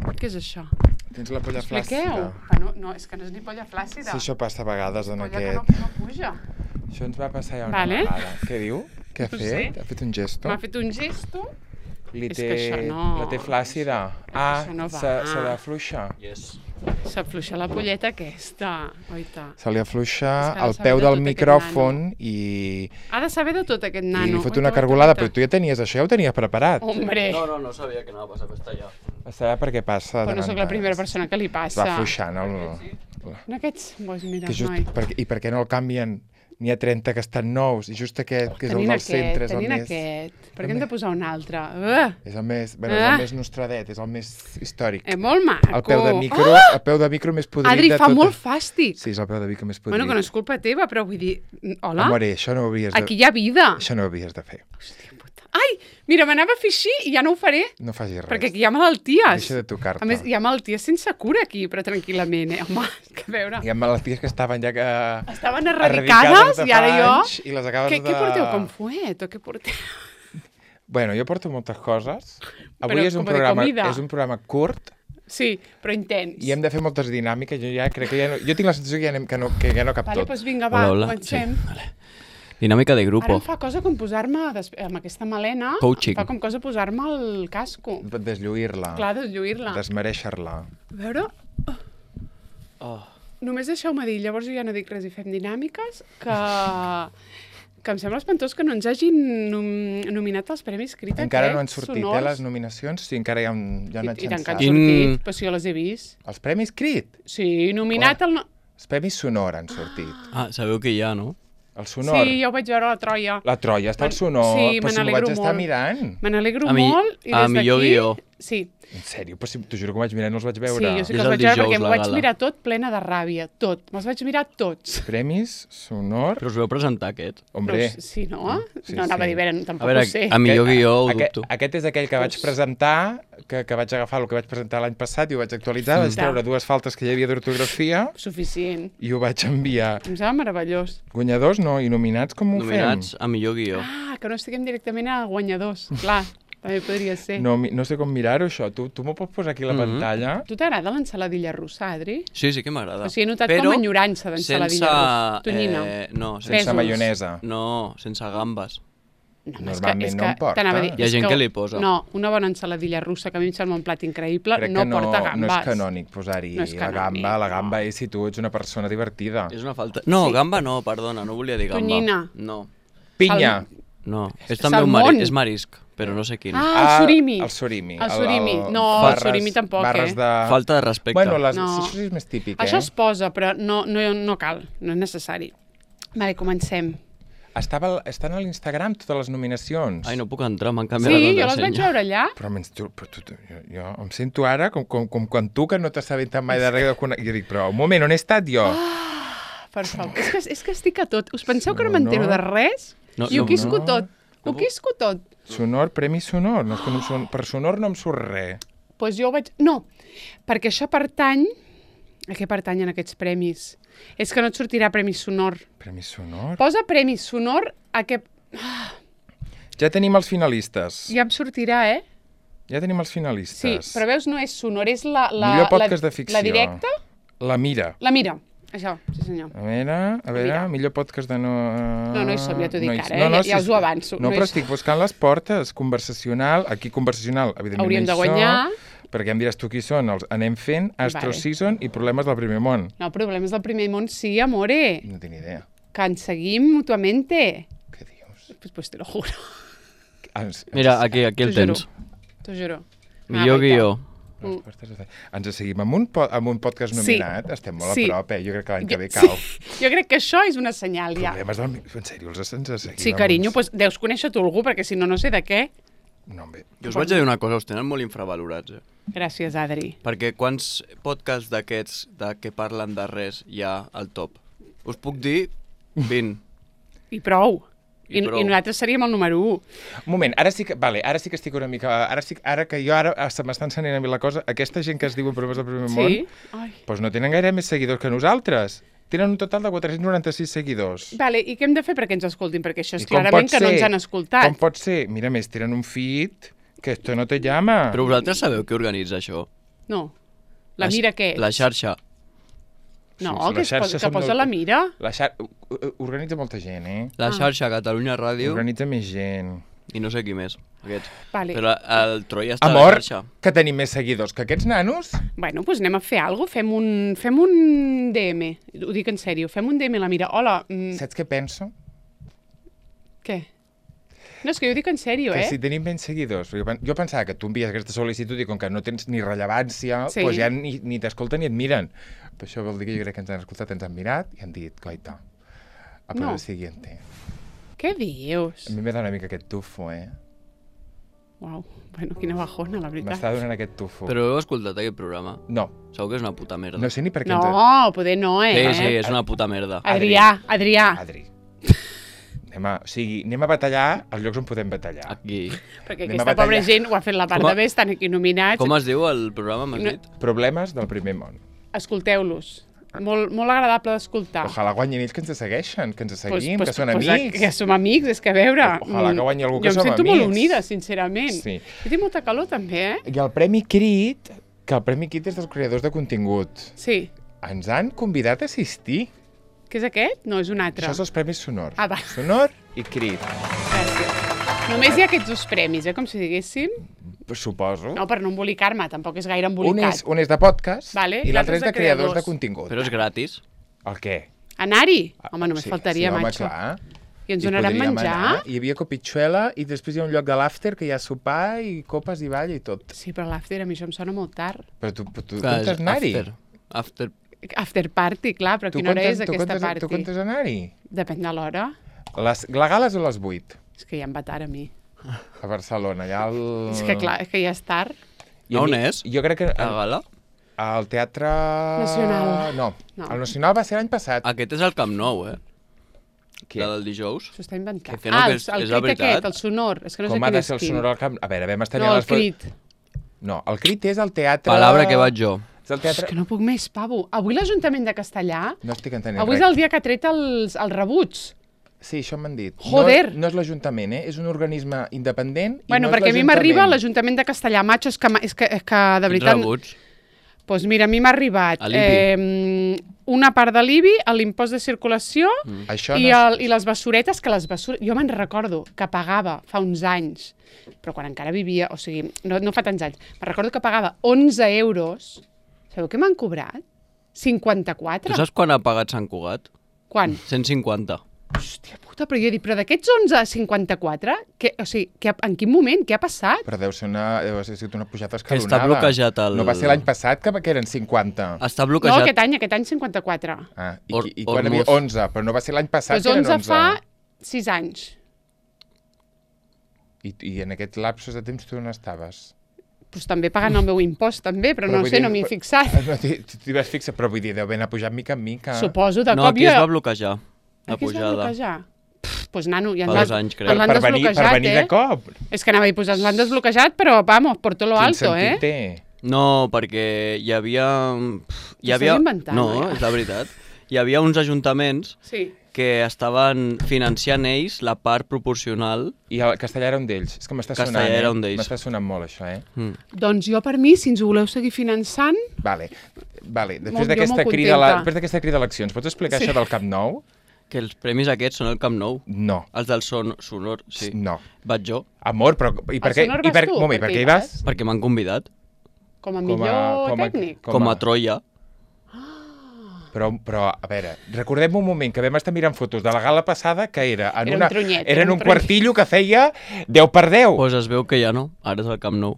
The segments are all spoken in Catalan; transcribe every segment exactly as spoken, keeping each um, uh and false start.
Què és això? Tens la polla Expliqueu. flàccida. Ah, no, no, és que no és ni polla flàccida. Sí, això passa a vegades en polla aquest... que no, no puja. Això ens va passar ja una Vale. vegada. Què diu? Què ha No fet? sé. Ha fet un gesto? M'ha fet un gesto. Li És té... que això no- La té flàccida. Ah, això no va. s'ha s'ha d'afluixar. Yes. S'afluixa la polleta aquesta. Oita. Se li afluixa És que ha de el saber peu de del tot aquest micròfon i, Ha de saber de tot aquest i nano. li fot Oita, una oita, cargolada, oita. però tu ja tenies això, ja ho tenies preparat. Hombre, No, no, no sabia que anava a passar per allà. A saber per què passa. però de no sóc tant la primera en tant. persona que li Es passa. va afluixant. El... En aquests, doncs mira, Que just, noi. per, I per què no el canvien? N'hi ha trenta que estan nous i just aquest, que és el Tenint del aquest, centre, és el tenint més... aquest. Per el què hem de més- posar un altre? Uh, És el més, bueno, és Ah. el més nostradet, és el més històric. és molt maco. El peu de micro, Ah! el peu de micro més podrit Adri, de fa tot. molt fàstic. Sí, és el peu de micro més podrit. Bueno, que no és culpa teva, però vull dir... Hola? Amore, això no ho havies de... Aquí hi ha vida. Això no ho havies de fer. Hòstia puta. Ai, mira, m'anava a fer així i ja no ho faré, No facis res. perquè aquí hi ha malalties. Deixa de tocar-te. A més, hi ha malalties sense cura aquí, però tranquil·lament, eh? Home, que a veure... Hi ha malalties que estaven ja que... Estaven erradicades de i ara fa jo... anys I les acabes Què, de... què porteu com fuet o què porteu? Bueno, jo porto moltes coses. Avui Però és un, com de programa, comida. és un programa curt Sí, però intens. i hem de fer moltes dinàmiques. Jo ja crec que ja no... Jo tinc la sensació que ja, anem, que no, que ja no cap Vale, tot. doncs vinga, va, Hola, hola. comencem. Sí, vale. Dinàmica de Ara grupo. em fa cosa com posar-me, des- amb aquesta melena, Coaching. em fa com cosa posar-me el casco. Deslluir-la. Clar, deslluir-la. Desmereixer-la. A veure, Oh. només deixeu-me dir, llavors jo ja no dic res i fem dinàmiques, que, que em sembla espantós que no ens hagin nom nominat als Premis Crític. Encara eh? no han sortit, eh, Sonors. les nominacions? Sí, encara hi ha, un, hi ha una I, i tant que han xança. Quin- sortit, però si jo les he vist. Els Premis Crit? Sí, nominat al... No... Els Premis Sonor han sortit. Ah, sabeu que hi ha, no? El Sonor? Sí, jo ho vaig veure a la Troia. La Troia està al Me- Sonor, sí, però me si m'ho n'alegro vaig estar molt. mirant. Me n'alegro A mi- molt i a des millor d'aquí... guió. Sí, En sèrio? Però si t'ho juro que ho vaig mirar i no els vaig veure. sí, jo sí És que els el vaig veure dijous, perquè m'ho la vaig gala. mirar tot plena de ràbia, tot. Me'ls vaig mirar tots. Premis Sonor... Però us veu presentar aquest? Hombre, No, sí, no? Sí, no anava sí. a dir, bé, A tampoc veure, ho sé. a millor Aquest- guió ho aquest, dubto. Aquest és aquell que vaig presentar, que, que vaig agafar el que vaig presentar l'any passat i ho vaig actualitzar, vaig Ja. treure dues faltes que hi havia d'ortografia Suficient. i ho vaig enviar. Em sembla meravellós. Guanyadors no, i nominats com ho Nominats a millor guió. Ah, que no estiguem directament a guanyadors. Clar, també podria ser. fem? No, mi- no sé com mirar-ho, això. Tu, tu m'ho pots posar aquí a la Mhm. pantalla? Tu t'agrada l'ensaladilla russa, Adri? Sí, sí que m'agrada. O sigui, he notat Però com enyorança d'ensaladilla sense, russa. Tonyina. Eh, no, Sense Pèsols. maionesa. no, sense gambes. No, home, Normalment és que, no és em porta. que, t'anava a dir, Hi ha és gent que li posa. No, una bona ensaladilla russa, que a mi em sembla un plat increïble, Crec no que no, porta gambes. no és canònic posar-hi No és la canònic, gamba. La no. gamba és si tu ets una persona divertida. És una falta... No, Sí. gamba no, perdona, no volia dir gamba. Tonyina. No, Pinya. no. És també un Salmón. mari... és marisc, però no sé quin. Ah, el surimi. El surimi. El surimi. No, el surimi tampoc, barres eh? de... Falta de respecte. Bueno, les... No. això sí és més típic, Això eh? es posa, però no, no, no cal, no és necessari. Vale, comencem. Estava, estan a l'Instagram totes les nominacions. Ai, no puc entrar, m'han canviat Sí, la jo les contrasenya. vaig veure allà. Però, menys tu, però tu, tu, jo, jo em sento ara com, com, com quan tu, que no t'has sabut mai de res. De... cone- Jo dic, però un moment, on he estat jo? Per favor, és que, és que estic a tot. Us penseu que no No, m'entero no. de res? No, I ho no, quisco no. tot. Ho No. quisco tot. Sonor, Premi Sonor. No, és que no em son... Per Sonor no em surt res. Doncs pues jo ho vaig... No, perquè això pertany... A què pertanyen aquests premis? És que no et sortirà Premi Sonor. Premi Sonor? Posa Premi Sonor a què... Ja tenim els finalistes. Ja em sortirà, eh? Ja tenim els Sí, finalistes. però veus, no és sonor, és la... la Millor podcast la, de ficció. La directa? La Mira. La mira. Això, sí senyor. A veure, a veure, Mira. millor podcast de no... No, no hi som, ja t'ho dic hi- ara, eh? Ja- ja us ho avanço. No, No hi però som. estic buscant les portes, conversacional, aquí conversacional, evidentment Hauríem no de hi som, guanyar. perquè em diràs tu qui són, els anem fent, Astro Vale. Season i Problemes del primer món. No, problemes del primer món, sí, amore. No tinc ni idea. Que ens seguim mutuamente. Què dius? Pues, pues te lo juro. Ens, Mira, aquí, aquí el T'ho juro. tens. T'ho juro. Millor Ah, guió. les portes de... Ens seguim amb un, po amb un podcast Sí. nominat, estem molt Sí. a prop, eh? Jo crec que l'any que ve Sí. cau. Jo crec que això és una senyal, ja. Problemes del... En sèrio, els ens seguim Sí, amb carinyo, uns- pues, deus conèixer tu algú, perquè si no, no sé de què. No, bé. Jo us vaig a dir una cosa, us tenen molt infravalorats, eh? Gràcies, Adri. Perquè quants podcasts d'aquests de que parlen de res hi ha al top? Us puc dir vint. I prou. I I, prou. I nosaltres seríem el número u. Un moment, ara sí que, vale, ara sí que estic una mica... Ara, sí, ara que jo ara se m'està encenent a mi la cosa, aquesta gent que es diuen Problemes del primer Sí? món, Ai. doncs no tenen gaire més seguidors que nosaltres. Tenen un total de quatre-cents noranta-sis seguidors. Vale, i què hem de fer perquè ens escoltin? Perquè això és I com clarament pot que no ser? ens han escoltat. Com pot ser? Mira, més, tenen un feed que esto no te llama. Però vosaltres sabeu qui organitza això? No. La La- Mira què és? La xarxa. No, Sí, sí, que, la es xarxa posa, que som posa del- la Mira. La xar... Organitza molta gent, eh? La Ah. xarxa Catalunya Ràdio Organitza més gent. i no sé qui més, aquests. Vale. Però el Troia està Amor, a la xarxa. que tenim més seguidors que aquests nanos. Bueno, doncs anem a fer alguna cosa. Fem un, fem un D M. Ho dic en sèrio. Fem un D M a la Mira. Hola. Mm, Saps què penso? què? No, és que jo ho dic en sèrio, Que eh? si tenim menys seguidors. Jo, pen- jo pensava que tu envies aquesta sol·licitud i com que no tens ni rellevància, Sí. doncs ja ni, ni t'escolten ni et miren. Però això vol dir que jo crec que ens han escoltat, ens han mirat i han dit, coita, a por No. el siguiente. Què dius? A mi m'ha donat una mica aquest tufo, eh? Uau, bueno, quina bajona, la veritat. M'està donant aquest tufo. Però heu escoltat aquest programa? No, Segur que és una puta merda. no sé ni per què... No, poder no, eh? Sí, sí, és una puta merda. Adrià, Adrià. Adri. Anem a, o sigui, anem a batallar als llocs on podem batallar. Aquí. Perquè Anem a aquesta pobra batallar. gent ho ha fet la part Com a- de bé, estan aquí nominats. Com es diu el programa, m'has No. dit? Problemes del primer món. Escolteu-los. Molt, molt agradable d'escoltar. Ojalà guanyin ells que ens segueixen, que ens Ah. Pues- seguim, pues- que són pues, amics. Que som amics, és que a veure... Ojalà que guanyi algú que jo som em sento amics. molt unida, sincerament. Sí. Jo tinc molta calor, també, eh? I el Premi Crit, que el Premi Crit és dels creadors de contingut, Sí. ens han convidat a assistir. Què és aquest? No, és un altre. Això és els Premis Sonor. Ah, va. Sonor i Crit. Gràcies. Només hi ha aquests dos premis, eh? Com si diguéssim. Suposo. No, per no embolicar-me, tampoc és gaire un, embolicat. és, un és de podcast Vale, i l'altre és de creadors de creadors. contingut. Però és gratis. El què? Anar-hi? Home, només Sí, faltaria, sí, home, macho. clar. I ens Hi donaran podríem menjar? anar. Hi havia copitxuela i després hi ha un lloc de l'after que hi ha sopar i copes i ball i tot. Sí, però l'after a mi això em sona molt tard. Però tu, tu, tu Clar, és comptes anar-hi? after. After. After party, clar, però Tu quina hora comptes- és tu aquesta comptes- party? Tu comptes anar-hi? Depèn de l'hora. Les, la gala és a les vuit, És que ja em va tard a mi. a Barcelona. Allà al... És que clar, és que ja és tard. I a On mi- és? Jo crec que... A gala? Al Teatre... Nacional. No, No. el Nacional va ser l'any passat. Aquest és el Camp Nou, eh? Què? La del dijous. S'ho està inventant. Que no, ah, que el, és- el és la crit veritat. aquest, el sonor. És que no sé Com ha quin de és ser el quin. sonor al camp? A veure, vam estar No, a el les... fo- crit. No, el crit és el teatre... Palabra que vaig jo. És el És teatre... que no puc més, pavo. Avui l'Ajuntament de Castellà, No estic entenent avui és res. el dia que ha tret els, els rebuts. Sí, això m'han dit. Joder! No, no és l'Ajuntament, eh? És un organisme independent i Bueno, no és perquè a mi l'Ajuntament. m'arriba l'Ajuntament de Castellà, macho, és que, ma- és que, és que de Quins veritat... rebuts? Doncs mira, a mi m'ha arribat A l'I B I. eh, una part de l'I B I, l'impost de circulació Mm. Això i, no és... el, i les bessoretes, que les bessoretes... Jo me'n recordo que pagava fa uns anys, però quan encara vivia, o sigui, no, no fa tants anys, me'n recordo que pagava onze euros. Sabeu què m'han cobrat? cinquanta-quatre. Tu saps quan ha pagat Sant Cugat? Quan? cent cinquanta. Hòstia puta, però jo he dit, però d'aquests onze a cinquanta-quatre, que, o sigui, que, en quin moment? Què ha passat? Però deu ser una, deu ser una pujada Que escalonada. està bloquejat el... No va ser l'any passat que, que eren cinquanta. Està No, bloquejat. aquest any, aquest any cinquanta-quatre. Ah, i, Or- i, i quan hi Ormuz. havia onze, però no va ser l'any passat Doncs que eren onze onze. fa sis anys. I, I en aquest lapsos de temps tu on estaves? Pues també pagant el meu impost, també, però, Però no vull sé, dir, no m'hi he però- fixat. No t'hi t'hi vas fixar, però vull dir, deu haver pujat mica en mica. Suposo, de No, cop aquí jo... es va bloquejar. La Aquí es va pujada. bloquejar. Pff, pues nano, ja Fa ens dos l'han- anys, crec. ens l'han per, venir, per desbloquejat, venir eh? de cop. És que anava a dir, pues ens l'han desbloquejat, però, vamos, por todo lo Quin alto, sentit eh? té? No, perquè hi havia... pff, Hi T'ho havia... estàs inventant, no, eh? és la veritat. Hi havia uns ajuntaments Sí. que estaven financiant ells la part proporcional. I el castellà era un d'ells. És que m'està sonant, Castellà eh? era un d'ells. M'està sonant molt, això, eh? Mm. Doncs jo, per mi, si ens ho voleu seguir finançant, Vale. Vale. Molt- Després jo d'aquesta molt crida, a la- contenta. després d'aquesta crida d'eleccions, pots explicar Sí. això del Camp Nou? Que els premis aquests són el Camp Nou. No. Els del son, Sonor, sí. No. Vaig jo, Amor, però... I per Al què? Sonor I vas per, tu, moment, per per què què hi hi vas? perquè m'han convidat. com a Com a- millor com a- tècnic. Com a Troia. Però, però, a veure, recordem un moment que vam estar mirant fotos de la gala passada que era en, Era un una, tronyet, era era en un un tronyet. quartillo que feia deu per deu. Doncs pues es veu que ja no, ara és el Camp Nou.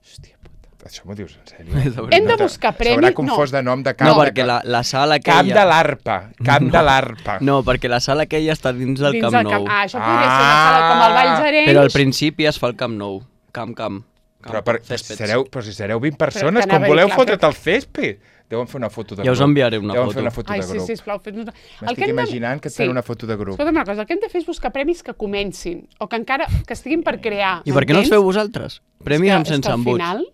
Hòstia puta. Això m'ho dius en sèrio? És la Hem veritat. de buscar premi... S'haurà confós de nom de camp. No, de perquè la, la sala Camp aquella... de l'Arpa. Camp de l'Arpa. No, perquè la sala aquella està dins del dins Camp del Nou. Ah, això podria ser una sala com el Valls Arenys. Però al principi es fa el Camp Nou. Camp, camp. Però, per, però, si céspeds. sereu, però si sereu vint persones, t'anava com a dir, voleu clar, fotre't el césped? Deuen fer una foto de Ja us grup. enviaré una Deuen foto. fer una foto Ai, de sí, grup. sisplau, fes-nos... El M'estic que hem de- imaginant que et fan una foto de grup. Escolta'm una cosa, el que hem de fer és buscar premis que comencin, o que encara que estiguin per crear. I per què no els m'entens? feu vosaltres? Premis És que- amb és que sense al embuts. final...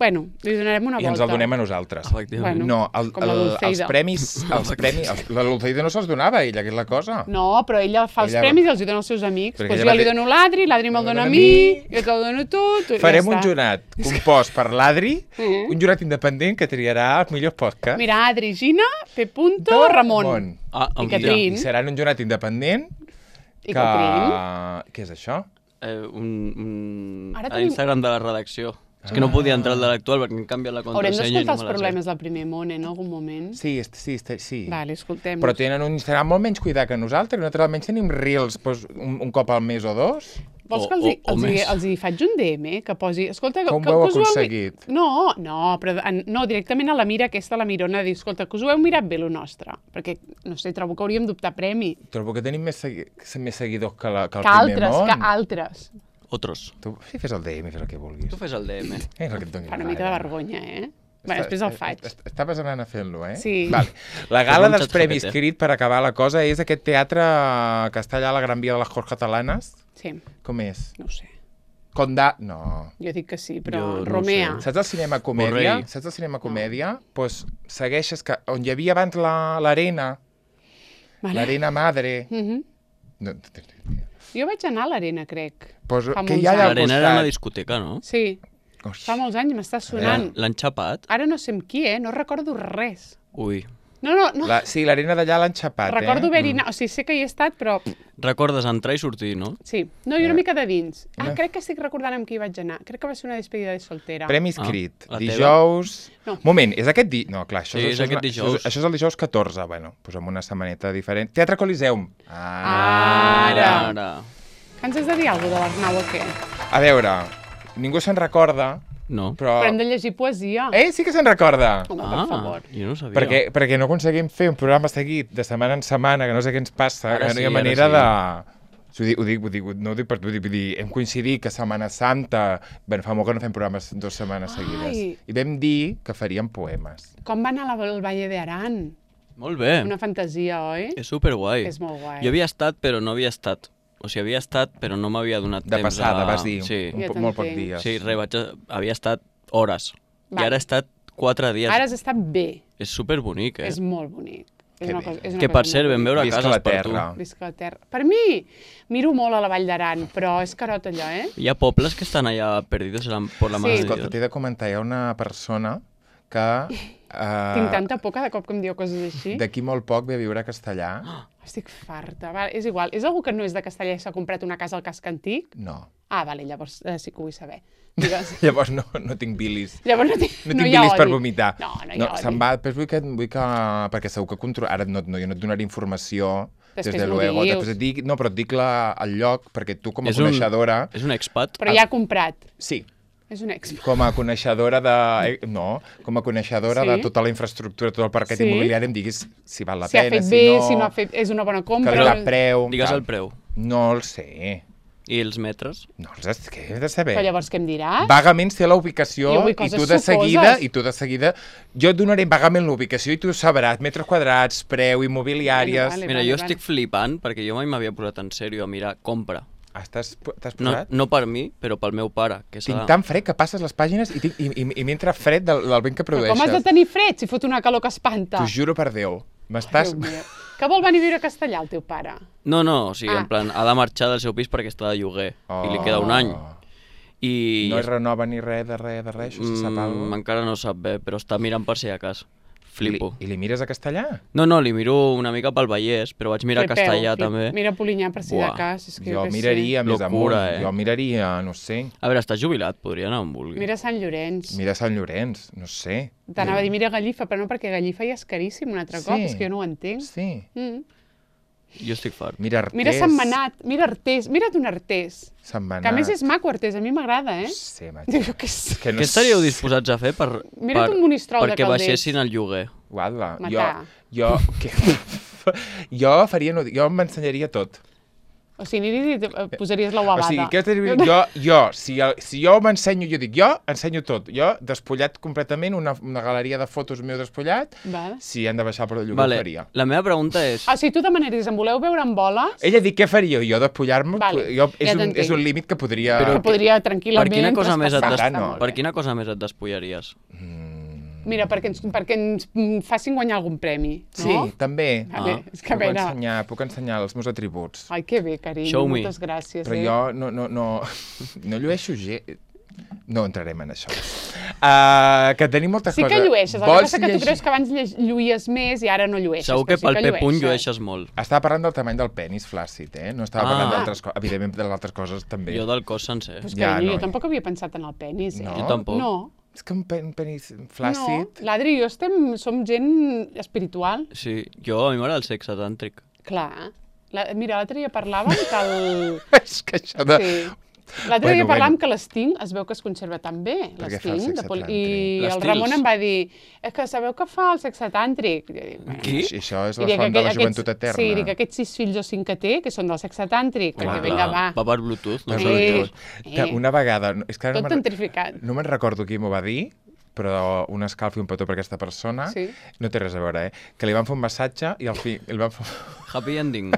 Bueno, li donarem una I volta. ens el donem a nosaltres. Efectivament. Bueno, No, el, com la el, els Dulceida. premis... Els premis els, la Dulceida no se'ls donava a ella, que és la cosa. No, però ella fa els Ella- premis i els hi dona als seus amics. Perquè Doncs ella jo va li dir- dono l'Adri, l'Adri me'l dona a mi, jo te'l dono a tu... tu Farem ja un està. jurat compost per l'Adri, Mhm. un jurat independent que triarà els millors podcasts. Mira, Adri, Gina, P. Punto, de Ramon. món. Ah, I em Catrín. I seran un jurat independent I que... Catrín. Què és això? Eh, un, un... Ara a tenim- l'Instagram de la redacció. És que no podia entrar al de l'actual perquè em canvia la Haurem contrasenya i d'escoltar no els me la sé. problemes del primer món, eh, en algun moment. Sí, est- sí, est- sí. Vale, escoltem. Però tenen un Instagram molt menys cuidat que nosaltres. Nosaltres almenys tenim reels doncs, un, un cop al mes o dos. Vols o- que els, hi, o- o els, hi, més. els hi faig un D M? Que posi... Escolta, Com que, ho heu que us mi- aconseguit? No, no, però en, no, directament a la mira aquesta, la mirona, dir, escolta, que us ho heu mirat bé, lo nostre. Perquè, no sé, trobo que hauríem d'optar premi. Trobo que tenim més, segui més seguidors que, la, que el Que primer altres, món. que altres. Otros. Tu sí, fes el D M, fes el que vulguis. Tu fes el D M. Eh, el que et doni Fa la una mica de gana. vergonya, eh? Bé, després el faig. est- Estaves anant a fer-lo, eh? Sí. Vale. La Fes gala un dels xat Premis G P T. Crit, per acabar la cosa, és aquest teatre que està allà a la Gran Via de les Corts Catalanes. Sí, Com és? no ho sé. Condà... No. Jo dic que sí, però Jo no ho Romea. sé. Saps el cinema comèdia? Borrell. Saps el cinema comèdia? Doncs pues, segueixes que... On hi havia abans la- l'arena, Vale. l'arena madre... Mhm. No, Jo vaig anar a l'arena, crec. pues, Fa que molts hi ha allà al L'arena era una costat? discoteca, no? Sí, Oix. fa molts anys m'està sonant. L'han xapat? Ara no sé amb qui, eh? No recordo res. Ui. No, no, no. La, sí, l'arena d'allà l'han xapat, Recordo eh? haver-hi anat, o sigui, sé que hi he estat, però Recordes entrar i sortir, no? sí. No, i una Eh. mica de dins. Ah, Eh. crec que estic recordant amb qui vaig anar. Crec que va ser una despedida de soltera. Premis Ah, Crit. la teva? Dijous... No. Moment, és aquest di... No, clar, això, Sí, és això, aquest una- dijous. Això, això és el dijous catorze, bueno, doncs amb una setmaneta diferent. Teatre Coliseum. Ah. Ara. Ara. Que ens has de dir alguna cosa de l'Arnau o què? A veure, ningú se'n recorda, No. però... Però hem de llegir poesia. Eh, sí que se'n recorda! Home, Ah, per favor. jo no ho sabia. Perquè, perquè no aconseguim fer un programa seguit de setmana en setmana, que no sé què ens passa, Ara que no hi ha sí, ara manera sí. de... Ho dic, ho dic, ho dic, no ho dic per tu, vull dir, hem coincidit que Setmana Santa, bueno, fa molt que no fem programes dues setmanes Ai. seguides, i vam dir que faríem poemes. Com va anar la, el Valle de Aran? Molt bé. Una fantasia, oi? És superguai. És molt guai. Jo havia estat, però no havia estat. O sigui, havia estat, però no m'havia donat De temps passada, a... vas dir, Sí, un, Ja po- molt pocs t'entenc. dies. sí res, vaig a... havia estat hores. Val. I ara he estat quatre dies. Ara has estat bé. És superbonic, eh? És molt bonic. És Que una bé. cosa, és una Que, cosa per cert, molt vam veure Visca cases la per tu. terra. Visca la terra. Per mi, miro molt a la Vall d'Aran, però és carot allò, eh? Hi ha pobles que estan allà perdidos en la- por la Sí. mare de Escolta, Dios. t'he de comentar, hi ha una persona que uh, Tinc tanta por cada cop que em diu coses així. d'aquí molt poc ve a viure a Castellà. Estic farta. Va, és igual. És algú que no és de Castellà i s'ha comprat una casa al casc antic? No. Ah, vale, llavors eh, sí que ho vull saber. Digues. Llavors no, no tinc bilis. Llavors no, tinc, No, no tinc hi ha bilis per odi. vomitar. No, no hi no ha odi. se'n va, després vull que, vull que... Perquè segur que controla... Ara no, no, jo no et donaré informació, Després des de m'ho luego. dius. Després et dic, no, però et dic la, el lloc, perquè tu com a És un- coneixedora... És un expat? Però ja ha comprat. Sí, És un ex. com a coneixedora de... eh, No, com a coneixedora Sí? de tota la infraestructura, tot el parquet Sí? immobiliari, em diguis si val la Si ha pena, fet si bé, no... si no ha fet... És una bona compra. Que el preu... Digues tal. el preu. No el sé. I els metres? No els has... Què he de saber? Però llavors què em diràs? Vagament sé la ubicació Jo vull i coses tu de seguida, sucoses. i tu de seguida, jo et donaré vagament l'ubicació i tu sabràs metres quadrats, preu, immobiliàries... Bueno, vale. Mira, jo estic flipant perquè jo mai m'havia posat en sèrio a mirar compra. Ah, T'has t'has No, posat? no per mi, però pel meu pare. Que Tinc s'ha- tan fred que passes les pàgines i, tinc, i, i, i m'entra fred del, del vent que Però produeixes. com has de tenir fred si fot una calor que espanta? T'ho juro per Déu. M'estàs... Déu meu. Que vol venir a viure a Castellà, el teu pare? No, no, o sigui, Ah. en plan, ha de marxar del seu pis perquè està de lloguer i li queda un any. I No es renova ni res de res de res, això se sap alguna mm, cosa? encara no sap bé, però està mirant per si a cas. Flipo. I li mires a castellà? No, no, li miro una mica pel Vallès, però vaig mirar Flipeu, castellà flip- també. Mira Polinyà per si Buah. de cas. És que Jo què sé. miraria més amunt. Locura, eh? Jo miraria, no sé, A veure, està jubilat, podria anar on vulgui. Mira Sant Llorenç. mira Sant Llorenç, no sé. T'anava a dir mira Gallifa, però no, perquè Gallifa ja és caríssim un altre Sí. cop, és que jo no ho entenc. Sí. Mm. Jo estic fart. Mira Artés. Mira Sant Manat, mira Artés, mira't un Artés. Sant Manat. Que a més és maco Artés, a mi m'agrada, eh? No sé, macho. Jo què sé. Que no Què estaríeu sé. disposats a fer per, Mira't per, un Monistrol de perquè Calders. baixessin el lloguer? Guarda, jo, Matar. jo, que, jo faria, no, jo m'ensenyaria tot. O sigui, aniris i et posaries la O ovada. sigui, què t'he de dir? Jo, jo, si, el, si jo m'ensenyo, jo dic, jo ensenyo tot. Jo, despullat completament, una, una galeria de fotos meu despullat, Vale. si han de baixar per lloguer, Vale, ho faria. la meva pregunta és... O sigui, tu demanaries, em voleu veure amb boles? Ella dic, què faria jo, despullar-me? Vale, jo, és, ja un, t'entenc. és un límit que podria... Però Que podria per tranquil·lament quina cosa més et, traspassar. des... no. per quina cosa més et despulleries? Mira, perquè ens, perquè ens mm, facin guanyar algun premi, Sí, no? també. Vale, Ah. és que a Puc veure... ensenyar, puc ensenyar els meus atributs. Ai, que bé, carinyo, Show me. moltes gràcies. Però eh? jo no, no, no, no llueixo gens. No entrarem en això. Uh, que tenim moltes Sí coses. que llueixes, el que Vols passa que tu llegir- creus que abans lle- lluïes més i ara no llueixes. Segur que però pel sí P-punt llueixes. llueixes molt. Estava parlant del tamany del penis flàcid, eh? No estava Ah. parlant d'altres coses. Evidentment, de les altres coses també. Jo del cos sencer. Pues Ja, carinyo, no. jo tampoc havia pensat en el penis, eh? No? Jo tampoc. No, És que un, pen, un penis no. flàcid... L'Adri i jo estem, som gent espiritual. Sí, jo a mi m'agrada el sexe tàntric. Clar. La, mira, l'altre dia parlàvem que el... És que això de... Sí. L'altre Bueno, dia parlàvem bueno. que l'Sting es veu que es conserva tan bé, Perquè fa el l'Sting. sexe de pol- tàntric. I el L'Stils. Ramon em va dir, és que sabeu que fa el sexe tàntric? I jo dic, bueno, Qui? I això és I la dic, font de la aquest- joventut aquests- eterna. Sí, dic, aquests sis fills o cinc que té, que són del sexe tàntric, Clar, perquè vinga, va. Va per Bluetooth, no? Per Sí. Bluetooth. Que Eh. una vegada... És que ara Tot no me'n- tantrificat. no me'n recordo qui m'ho va dir, però un escalf i un petó per aquesta persona, Sí. no té res a veure, eh? Que li van fer un massatge i al fi... El van fer... Happy ending.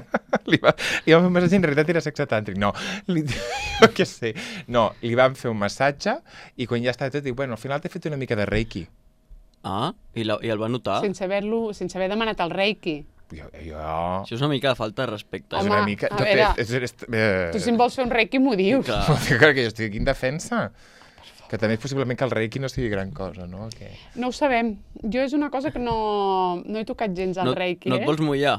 li, va, li van fer un massatge i en realitat era sexe tàntric. No, li, jo què sé. No, li van fer un massatge i quan ja estava tot, dic, bueno, al final t'he fet una mica de reiki. Ah, i, la, i el va notar? Sense haver-lo, sense haver demanat el reiki. Jo... jo... Això és una mica de falta de respecte. és Home, una mica... a de veure, fet, és, és, eh, Tu si em vols fer un reiki m'ho dius. Clar. Clar, que jo estic aquí en defensa. Que també és possiblement que el reiki no sigui gran cosa, no? Que... No ho sabem. Jo és una cosa que no, no he tocat gens al No, reiki, no eh? et vols mullar?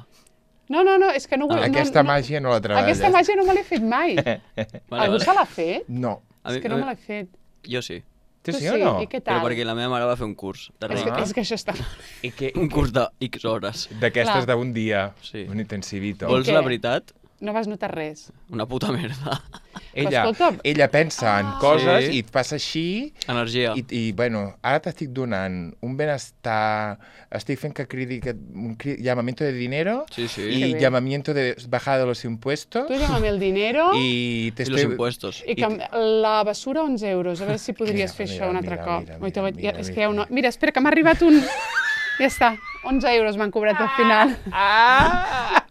No, no, no, és que no... vull- no, Aquesta no, màgia no la treballes. Aquesta màgia no me l'he fet mai. Vale, Algú vale. se l'ha fet? No. A És mi- que a no mi- me l'he fet. Jo sí. Tu Tu sí o no? I què Però tal? perquè la meva mare va fer un curs de És que, reiki. és que això està... I que... Un curs de X hores. D'aquestes Clar. d'un dia. Sí. Un intensivito. Vols què? la veritat? No vas notar res. Una puta merda. Ella, escolta'm. ella pensa en Ah. coses Sí. i et passa així Energia. i, i bueno, ara t'estic donant un benestar, estic fent que cridi que, un cri, llamamiento de dinero Sí, sí. i Que bé. llamamiento de bajada de los impuestos Tu llámame el dinero i, te I los estoy- impuestos. i que la basura onze euros. A veure si podries Mira, fer mira, això un altre mira, cop. mira, Oi, te mira, vaig- mira, és que mira. hi ha una... Mira, espera, que m'ha arribat un... Ja està, onze euros m'han cobrat al final. Ah!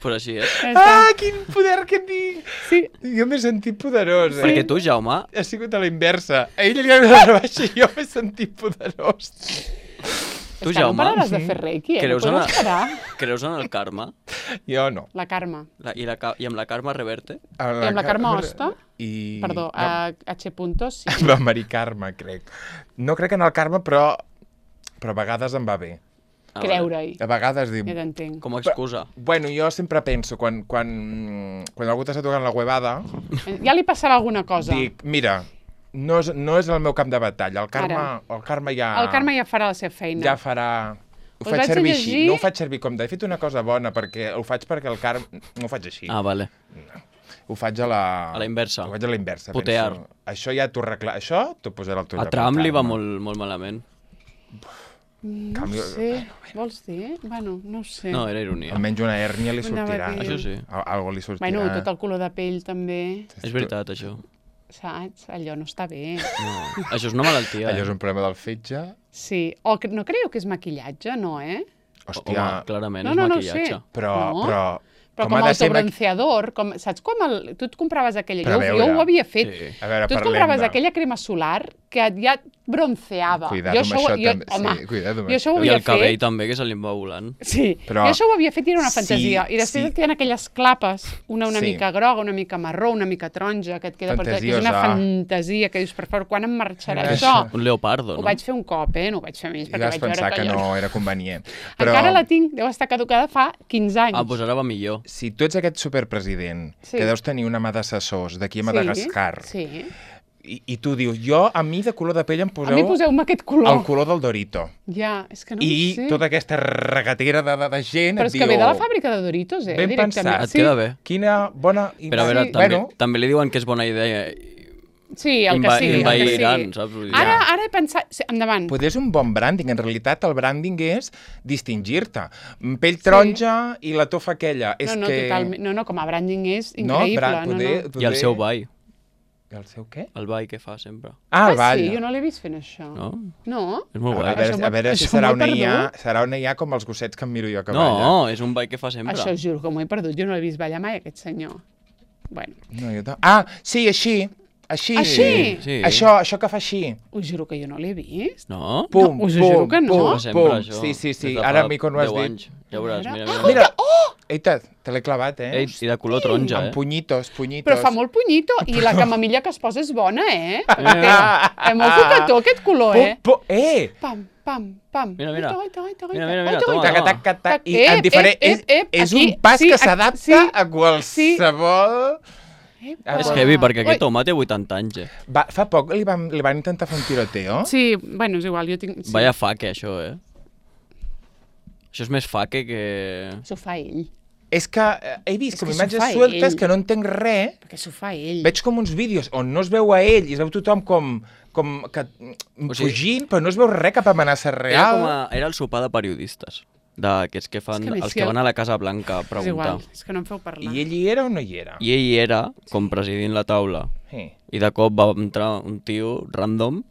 Però així és. Ja està. Ah, quin poder que tinc! Sí, Jo m'he sentit poderós, eh? Perquè tu, Jaume, Ha sigut a la inversa. A ell li ha donat la baixa i jo m'he sentit poderós. tu, és que no Jaume, pararàs de fer reiki, eh? No creus en, podràs parar. creus en el karma? Jo no. La Carme. La, i, la, ca- I amb la karma reverte? A I amb la Carme Carme- Hosta? I... Perdó, no, a H. Puntos, sí. la Mari Carme, crec. No crec en el karma, però, però a vegades em va bé. Ah, Creure-hi. A vegades dic... Ja t'entenc. Com a excusa. Bueno, jo sempre penso, quan, quan, quan algú t'està tocant la huevada, Ja li passarà alguna cosa. dic, mira, no és, no és el meu camp de batalla. El karma, el karma ja... El Carme ja farà la seva feina. ja farà... Ho Us faig vaig a servir llegir- així, no ho faig servir com de... He fet una cosa bona, perquè ho faig perquè el karma... No ho faig així. Ah, vale. Ho faig a la... A la inversa. Ho faig a la inversa. Putear. Penso. Això ja t'ho arregla... Això t'ho posarà al teu A lloc. Trump el li va karma. molt, molt malament. No canvi- ho sé. Vols dir? Bueno, no ho sé. No, era ironia. Almenys una hèrnia li Anava a sortirà. dir- Això sí. Al- Algo li sortirà. Bueno, tot el color de pell també, És veritat, això. saps? Allò no està bé. No. Això és una malaltia. Allò és Eh? un problema del fetge. Sí. O que, no creieu que és maquillatge, no, eh? Hòstia, Home, clarament No, és no, no ho maquillatge. sé. però, No? però, Però com, ha com de ser maqui- autobronceador, com, saps com el, tu et compraves aquella... Però a Jo, jo veure. ho havia fet. Sí. A veure, Tu et parlem compraves de... aquella crema solar que et ja et bronceava. Cuidado jo amb això jo, també. Home, Sí, cuidado amb jo això ho això. I havia el cabell fet. també, que se li va volant. Sí, Però- jo això ho havia fet i era una Sí, fantasia. I després sí. et queden aquelles clapes, una una Sí. mica groga, una mica marró, una mica taronja, que et queda per tot. Que és una Fantasiosa. fantasia, que dius, per favor, quan em marxarà Això. això? Un leopardo, Ho no? vaig fer un cop, eh? No ho vaig fer més, I perquè vas vaig veure pensar que allò- no era convenient. Però Encara la tinc, deu estar caducada fa quinze anys. Ah, doncs ara va millor. si tu ets aquest superpresident, Sí. que deus tenir una mà d'assessors d'aquí a Madagascar, Sí, sí. i, i tu dius, jo, a mi de color de pell em A poseu, mi poseu-me aquest color. el color del Dorito. Ja, és que no I ho sé. tota aquesta regatera de, de, de gent Però et és diu... que ve de la fàbrica de Doritos, eh? Ben directament. pensat. Et queda bé. Quina bona... Però a veure, Sí. també, Bueno, també li diuen que és bona idea Sí, el que Inva- sigui. el que envairan, sigui. saps? Vull dir, Ara, ja. ara he pensat... Sí, endavant. Poder és un bon branding. En realitat, el branding és distingir-te. Pell taronja i la tofa aquella. És No, no, que... totalment. No, no, com a branding és No, increïble. bra- No, poder, no. poder... I el seu ball. El seu què? El ball que fa sempre. Ah, el Ah, ball. sí? Jo no l'he vist fent això. No? No? És molt A guai. veure, Això a veure si això serà m'ho he una, I A, perdut. serà una I A com els gossets que em miro jo que No, balla. és un ball que fa sempre. Això juro que m'ho he perdut. Jo no l'he vist ballar mai, aquest senyor. Bueno, No, jo ta- ah, sí, així. Així. Així? Sí. Això, això que fa així. us juro que jo no l'he vist. No? Pum, No, us ho pum, juro que no. pum, Ho fa sempre, pum. això. Sí, sí, sí. Des de Ara fa a mi quan ho has deu dit... anys. Ja veuràs, A veure. mira, mira. Mira, oh! Eita, te l'he clavat, eh? Ei, I de color taronja, Amb eh? punyitos, punyitos. Però fa molt punyito. I la camamilla que es posa és bona, eh? Perquè té, Mira. té molt coquetó, aquest color, Pum, eh? pum, eh! Pam, pam, pam. Mira, mira. Oita, oita, oita, Mira, mira, mira, oita, toma, oita. Taca, taca, taca. I Ep, en diferent... ep, ep, ep, és, és aquí, un pas sí, que aquí, s'adapta sí. a qualsevol... Epa. És heavy, perquè Ui. aquest home té vuitanta anys, eh? Va, fa poc li van, li van intentar fer un tiroteo. Sí, bueno, és igual, jo tinc... Sí. Vaya faque, això, eh? Això és més faque que... S'ho fa ell, És que eh, he vist És com que s'ho imatges fa sueltes ell. que no entenc res. perquè s'ho fa ell. Veig com uns vídeos on no es veu a ell i es veu tothom com, com que, O sigui, fugint, però no es veu res, cap amenaça Era, real. com a... Era el sopar de periodistes, d'aquests que fan... És que a més, els si que el- van a la Casa Blanca a És preguntar. igual, és que no em feu parlar. I ell hi era o no hi era? I ell era, com presidint la taula, Sí. i de cop va entrar un tio random,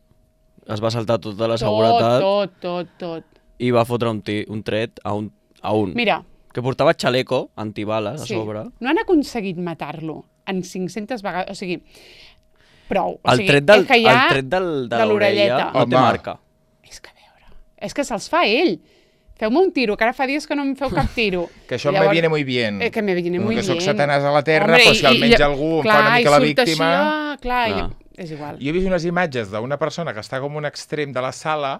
es va saltar tota la tot, seguretat tot, tot, tot. i va fotre un, ti, un tret a un, a un Mira, que portava xaleco antibales a sí, sobre. no han aconseguit matar-lo en cinc-centes vegades, o sigui, prou. O El sigui, tret, del, és que ja el tret del, de, de l'orelleta. l'orella no té Home. marca. És que a veure, és que se'ls fa ell. Feu-me un tiro, que ara fa dies que no em feu cap tiro. Que això I me viene muy bien. Eh, que me viene muy que bien. soc satanàs a la terra, Hombre, però si i- almenys i- algú em clar, fa una mica la i surt víctima... Així, ah, clar, Clar. I, és igual. Jo he vist unes imatges d'una persona que està com un extrem de la sala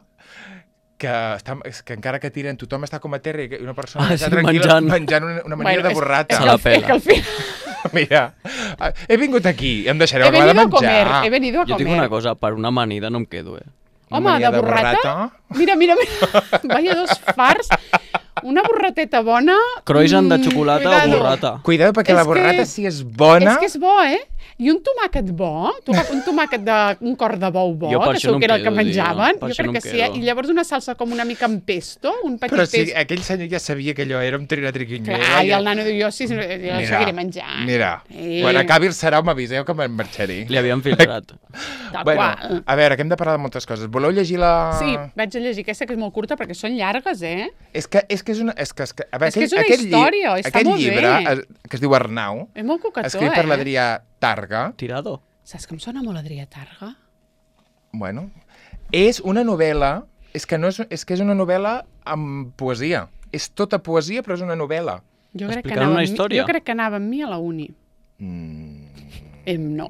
que, està, és que encara que tiren tothom està com a terra i una persona Ah, que està sí, tranquil·la menjant. menjant una, una manera de és- borrata. És, Se que la al fi- és pela. que al final... Mira, he vingut aquí, em deixareu He acabar de venido a menjar. comer, he venido a Jo comer. tinc una cosa, per una amanida no em quedo, eh? Una Home, mania de borrata? Mira, mira, mira. Vaya dos farts. Una borrateta bona... Croissant de mm, xocolata o cuidado. borrata? Cuidado, perquè És la que- borrata, si és bona... És que és bo, eh? I un tomàquet bo, toca- un tomàquet de un cor de bou bo, Jo per que això no segur que em era el que quedo, menjaven. tio, per Jo això crec no que em sí, eh? quedo. I llavors una salsa com una mica amb pesto, un petit Però si pesto. aquell senyor ja sabia que allò era un trinatriquinyera. Clar, i el nano diu, jo sí, jo Mira, seguiré menjant. Mira, Eh. quan acabi el sarau m'aviseu que me'n marxaré. Li havien filtrat. Tal Bueno, qual. a veure, que hem de parlar de moltes coses. Voleu llegir la... Sí, vaig a llegir aquesta que és molt curta perquè són llargues, eh? És que és, que és una... És que, és que, a veure, És que és una aquest lli- història, està aquest molt llibre, bé. es, que es diu Arnau, És molt coquetó, escrit eh? per l'Adrià Targa, Tirado. Saps que em sona molt Adrià Targa? bueno, és una novel·la, és que, no és, és que és una novel·la amb poesia. És tota poesia, però és una novel·la. Jo crec, que Explicant anava una amb mi- història? jo crec que anava amb mi a la uni. Mm, Em, no.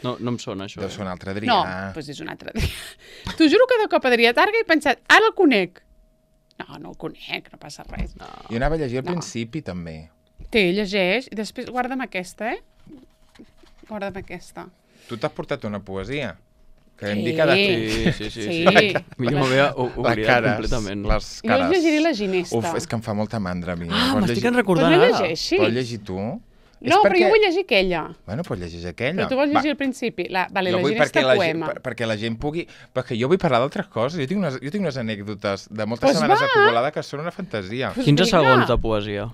No, no em sona, això. deu Eh? ser un altre Adrià. No, doncs és un altre dia. T'ho juro que de cop Adrià Targa he pensat, ara el conec. No, no el conec, no passa res. No. Jo anava a llegir al No. principi, també. Té, llegeix, i després guarda'm aquesta, eh? Guarda'm aquesta. Tu t'has portat una poesia. Que hem Sí. dit cada tu. Sí, sí, sí. Sí. sí. Millor m'havia o- Les oblidat cares, completament. les Jo cares. us llegiré la Ginesta. Uf, és que em fa molta mandra a mi. Ah, Pots m'estic llegir- recordant Doncs no ara. llegeixis. Pots llegir tu? És No, però perquè- jo vull llegir aquella. Bueno, pots llegir aquella. Però tu vols Va, llegir al principi. La, vale, jo la vull Ginesta perquè la, poema. gent, per, perquè la gent pugui... Perquè jo vull parlar d'altres coses. Jo tinc unes, jo tinc unes anècdotes de moltes Pues setmanes va. acumulades que són una fantasia. Pues quinze vinga. segons de poesia.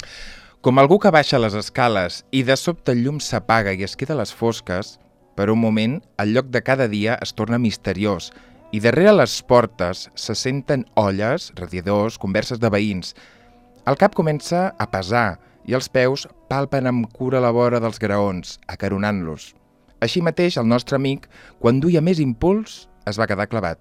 Com algú que baixa les escales i de sobte el llum s'apaga i es queda a les fosques, per un moment el lloc de cada dia es torna misteriós i darrere les portes se senten olles, radiadors, converses de veïns. El cap comença a pesar i els peus palpen amb cura la vora dels graons, acaronant-los. Així mateix, el nostre amic, quan duia més impuls, es va quedar clavat.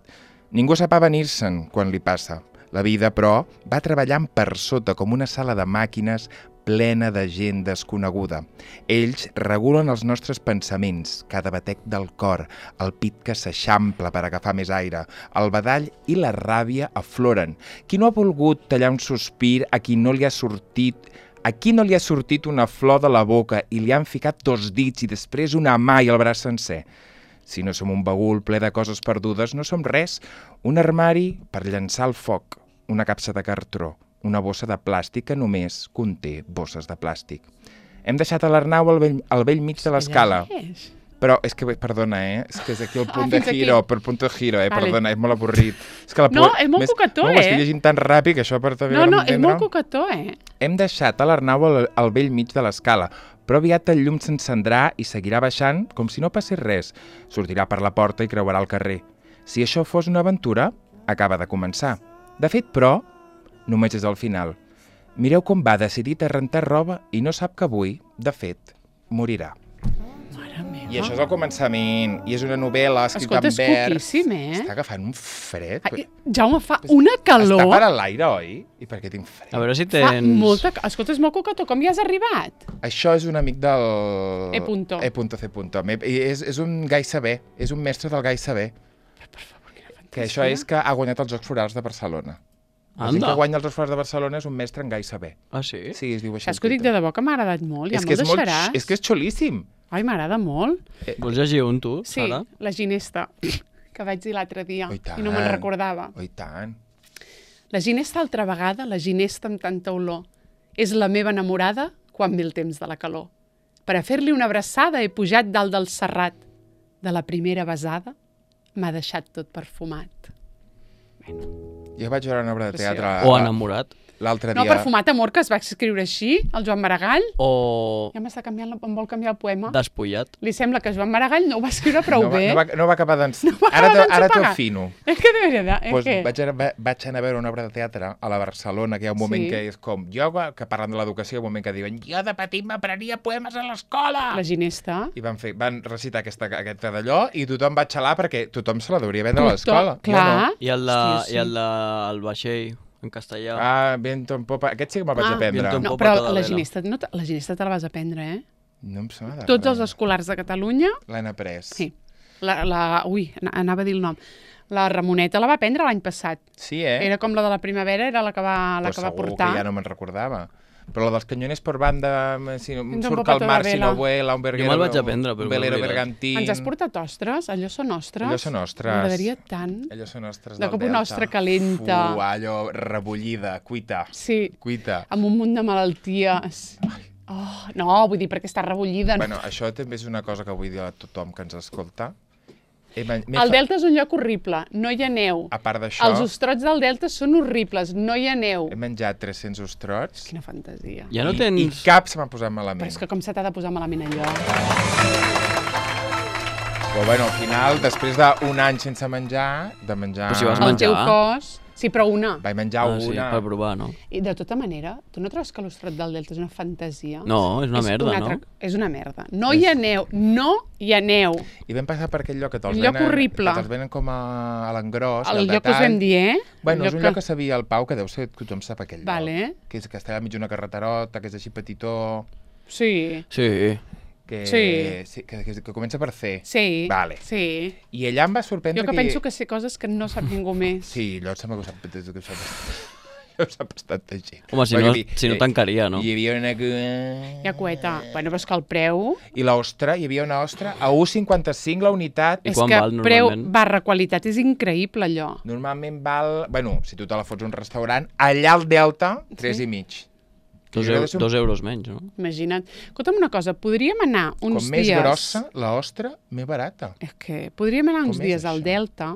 Ningú sap avenir-se'n quan li passa. La vida, però, va treballant per sota com una sala de màquines plena de gent desconeguda. Ells regulen els nostres pensaments, cada batec del cor, el pit que s'eixampla per agafar més aire, el badall i la ràbia afloren. Qui no ha volgut tallar un sospir a qui no li ha sortit a qui no li ha sortit una flor de la boca i li han ficat dos dits i després una mà i el braç sencer? Si no som un bagul ple de coses perdudes, no som res. Un armari per llançar al foc, una capsa de cartró, una bossa de plàstic que només conté bosses de plàstic. Hem deixat a l'Arnau al vell, al vell mig de l'escala. Llegeix. Però és que, perdona, eh? És que és aquí el punt Ah, de fins aquí. giro, per punt de giro, eh? Vale. Perdona, és molt avorrit. És que la No, pu- és molt més- cucató, no, ho estic eh? llegint tan ràpid que això per també No, no, és molt cucató, eh? Hem deixat a l'Arnau al, al vell mig de l'escala, però aviat el llum s'encendrà i seguirà baixant com si no passés res. Sortirà per la porta i creuarà el carrer. Si això fos una aventura, acaba de començar. De fet, però, només és el final. Mireu com va decidit a rentar roba i no sap que avui, de fet, morirà. Mare meva. I això és el començament, i és una novel·la escrita Escolta, en és vers. cuquíssim, eh? Està agafant un fred. Ai, Jaume, fa una calor. Està per a l'aire, oi? I per què tinc fred? A veure si Fa tens... molta... Escolta, és molt cucató. Com hi has arribat? Això és un amic del... E punto. E punto C punto. Me- i És, és un gai saber, és un mestre del gai saber. Per favor, quina fantasia. Que això és que ha guanyat els Jocs Florals de Barcelona. La gent Anda. que guanya els Jocs Florals de Barcelona és un mestre en gai saber. Ah, sí? Sí, es diu així. Saps que ho dic de debò que m'ha agradat molt? Ja és, me'l que és, molt, deixaràs? és que és xulíssim. Ai, m'agrada molt. Vols llegir un, tu, Sí, Sara? la ginesta, que vaig dir l'altre dia Oh, i tant. i no me'n recordava. Oh, i tant. La ginesta altra vegada, la ginesta amb tanta olor. És la meva enamorada quan ve el temps de la calor. Per a fer-li una abraçada he pujat dalt del serrat. De la primera besada m'ha deixat tot perfumat. Jo vaig veure una obra de teatre O enamorat? l'altre No, dia. perfumat amor, que es va escriure així, el Joan Maragall. O Ja m'està canviant, la- em vol canviar el poema. despullat? Li sembla que Joan Maragall no ho va escriure prou no, va, bé. no, va, no va acabar d'ens... No va ara acabar t'ho- ara t'ho d'enxapegar. afino. És que de veritat, és Pues que... vaig, anar, va- vaig anar a veure una obra de teatre a la Barcelona, que hi ha un moment Sí. que és com... Jo, que parlant de l'educació, hi ha un moment que diuen jo de petit m'aprenia poemes a l'escola! La ginesta. I van, fer, van recitar aquesta, aquesta d'allò i tothom va xalar perquè tothom se la deuria vendre a Tothom- l'escola. Jo clar. no. I el de, Hòstia, sí. i el de el vaixell, en castellà. Ah, Viento en Popa. Aquest sí que me'l vaig Ah. aprendre. Viento en No, Popa però toda la vela. ginesta, no, te- la ginesta te la vas aprendre, eh? No em sona de Tots els res. escolars de Catalunya, L'han après. sí. La, la, ui, ana- anava a dir el nom. La Ramoneta la va aprendre l'any passat. Sí, eh? Era com la de la primavera, era la que va, la Però que va segur portar. que ja no me'n recordava. Però la dels canyones per banda, si no, Ens surt empopa al mar, toda si no vela. vuela, un verguero... me'l vaig aprendre, però un m'he velero oblidat. bergantín... Ens has portat ostres? Allò són ostres? Allò són ostres. M'agradaria tant. Allò són ostres De del cop Delta. una ostra calenta. Fu, allò rebullida, cuita, Sí, cuita. amb un munt de malalties. Oh, no, vull dir, perquè està rebollida. Bueno, això també és una cosa que vull dir a tothom que ens escolta. He, men- m'he El fa- Delta és un lloc horrible, no hi ha neu. A part d'això, Els ostrots del Delta són horribles, no hi ha neu. he menjat tres-cents ostrots Quina fantasia. Ja no i, tens... i cap se m'ha posat Però malament. és que com se t'ha de posar malament allò? Però bueno, al final, després d'un any sense menjar, de menjar... Però si vas El menjar. teu cos... Sí, però una. Vaig menjar Ah, sí, una... per provar, no? I de tota manera, tu no trobes que l'ostrot del Delta és una fantasia? No, és una merda, una no? És una merda. No hi ha neu, no hi ha neu. I vam passar per aquell lloc que te'ls Un lloc venen, horrible. que te'ls venen com a, a l'engròs, El al lloc que us detall. vam dir, eh? Bueno, El és un lloc que sabia el Pau, que deu ser que tothom sap aquell Vale. lloc. Que és que està al mig d'una carreterota, que és així petitó, Sí, Sí. que, Sí. sí, que, que, que comença per C. sí, Vale. sí. I allà em va sorprendre Jo que penso que sé coses que no sap ningú més. Sí, allò sembla que ho sap, que ho sap, ho sap bastanta gent. Home, si Perquè no, hi- si no hi- tancaria, no? Hi havia una... Hi ha cueta. Bueno, però és que el preu... I l'ostra, hi havia una ostra a u coma cinquanta-cinc la unitat. I és quan que val, preu normalment? barra qualitat és increïble, allò. Normalment val... Bueno, si tu te la fots a un restaurant, allà al Delta, tres Sí. i mig. Dos, Jo crec eu que és un- dos euros menys, no? Imagina't. Escolta'm una cosa, podríem anar uns Com més dies... grossa, l'ostra, més barata. És que podríem anar uns Com és dies al això? Delta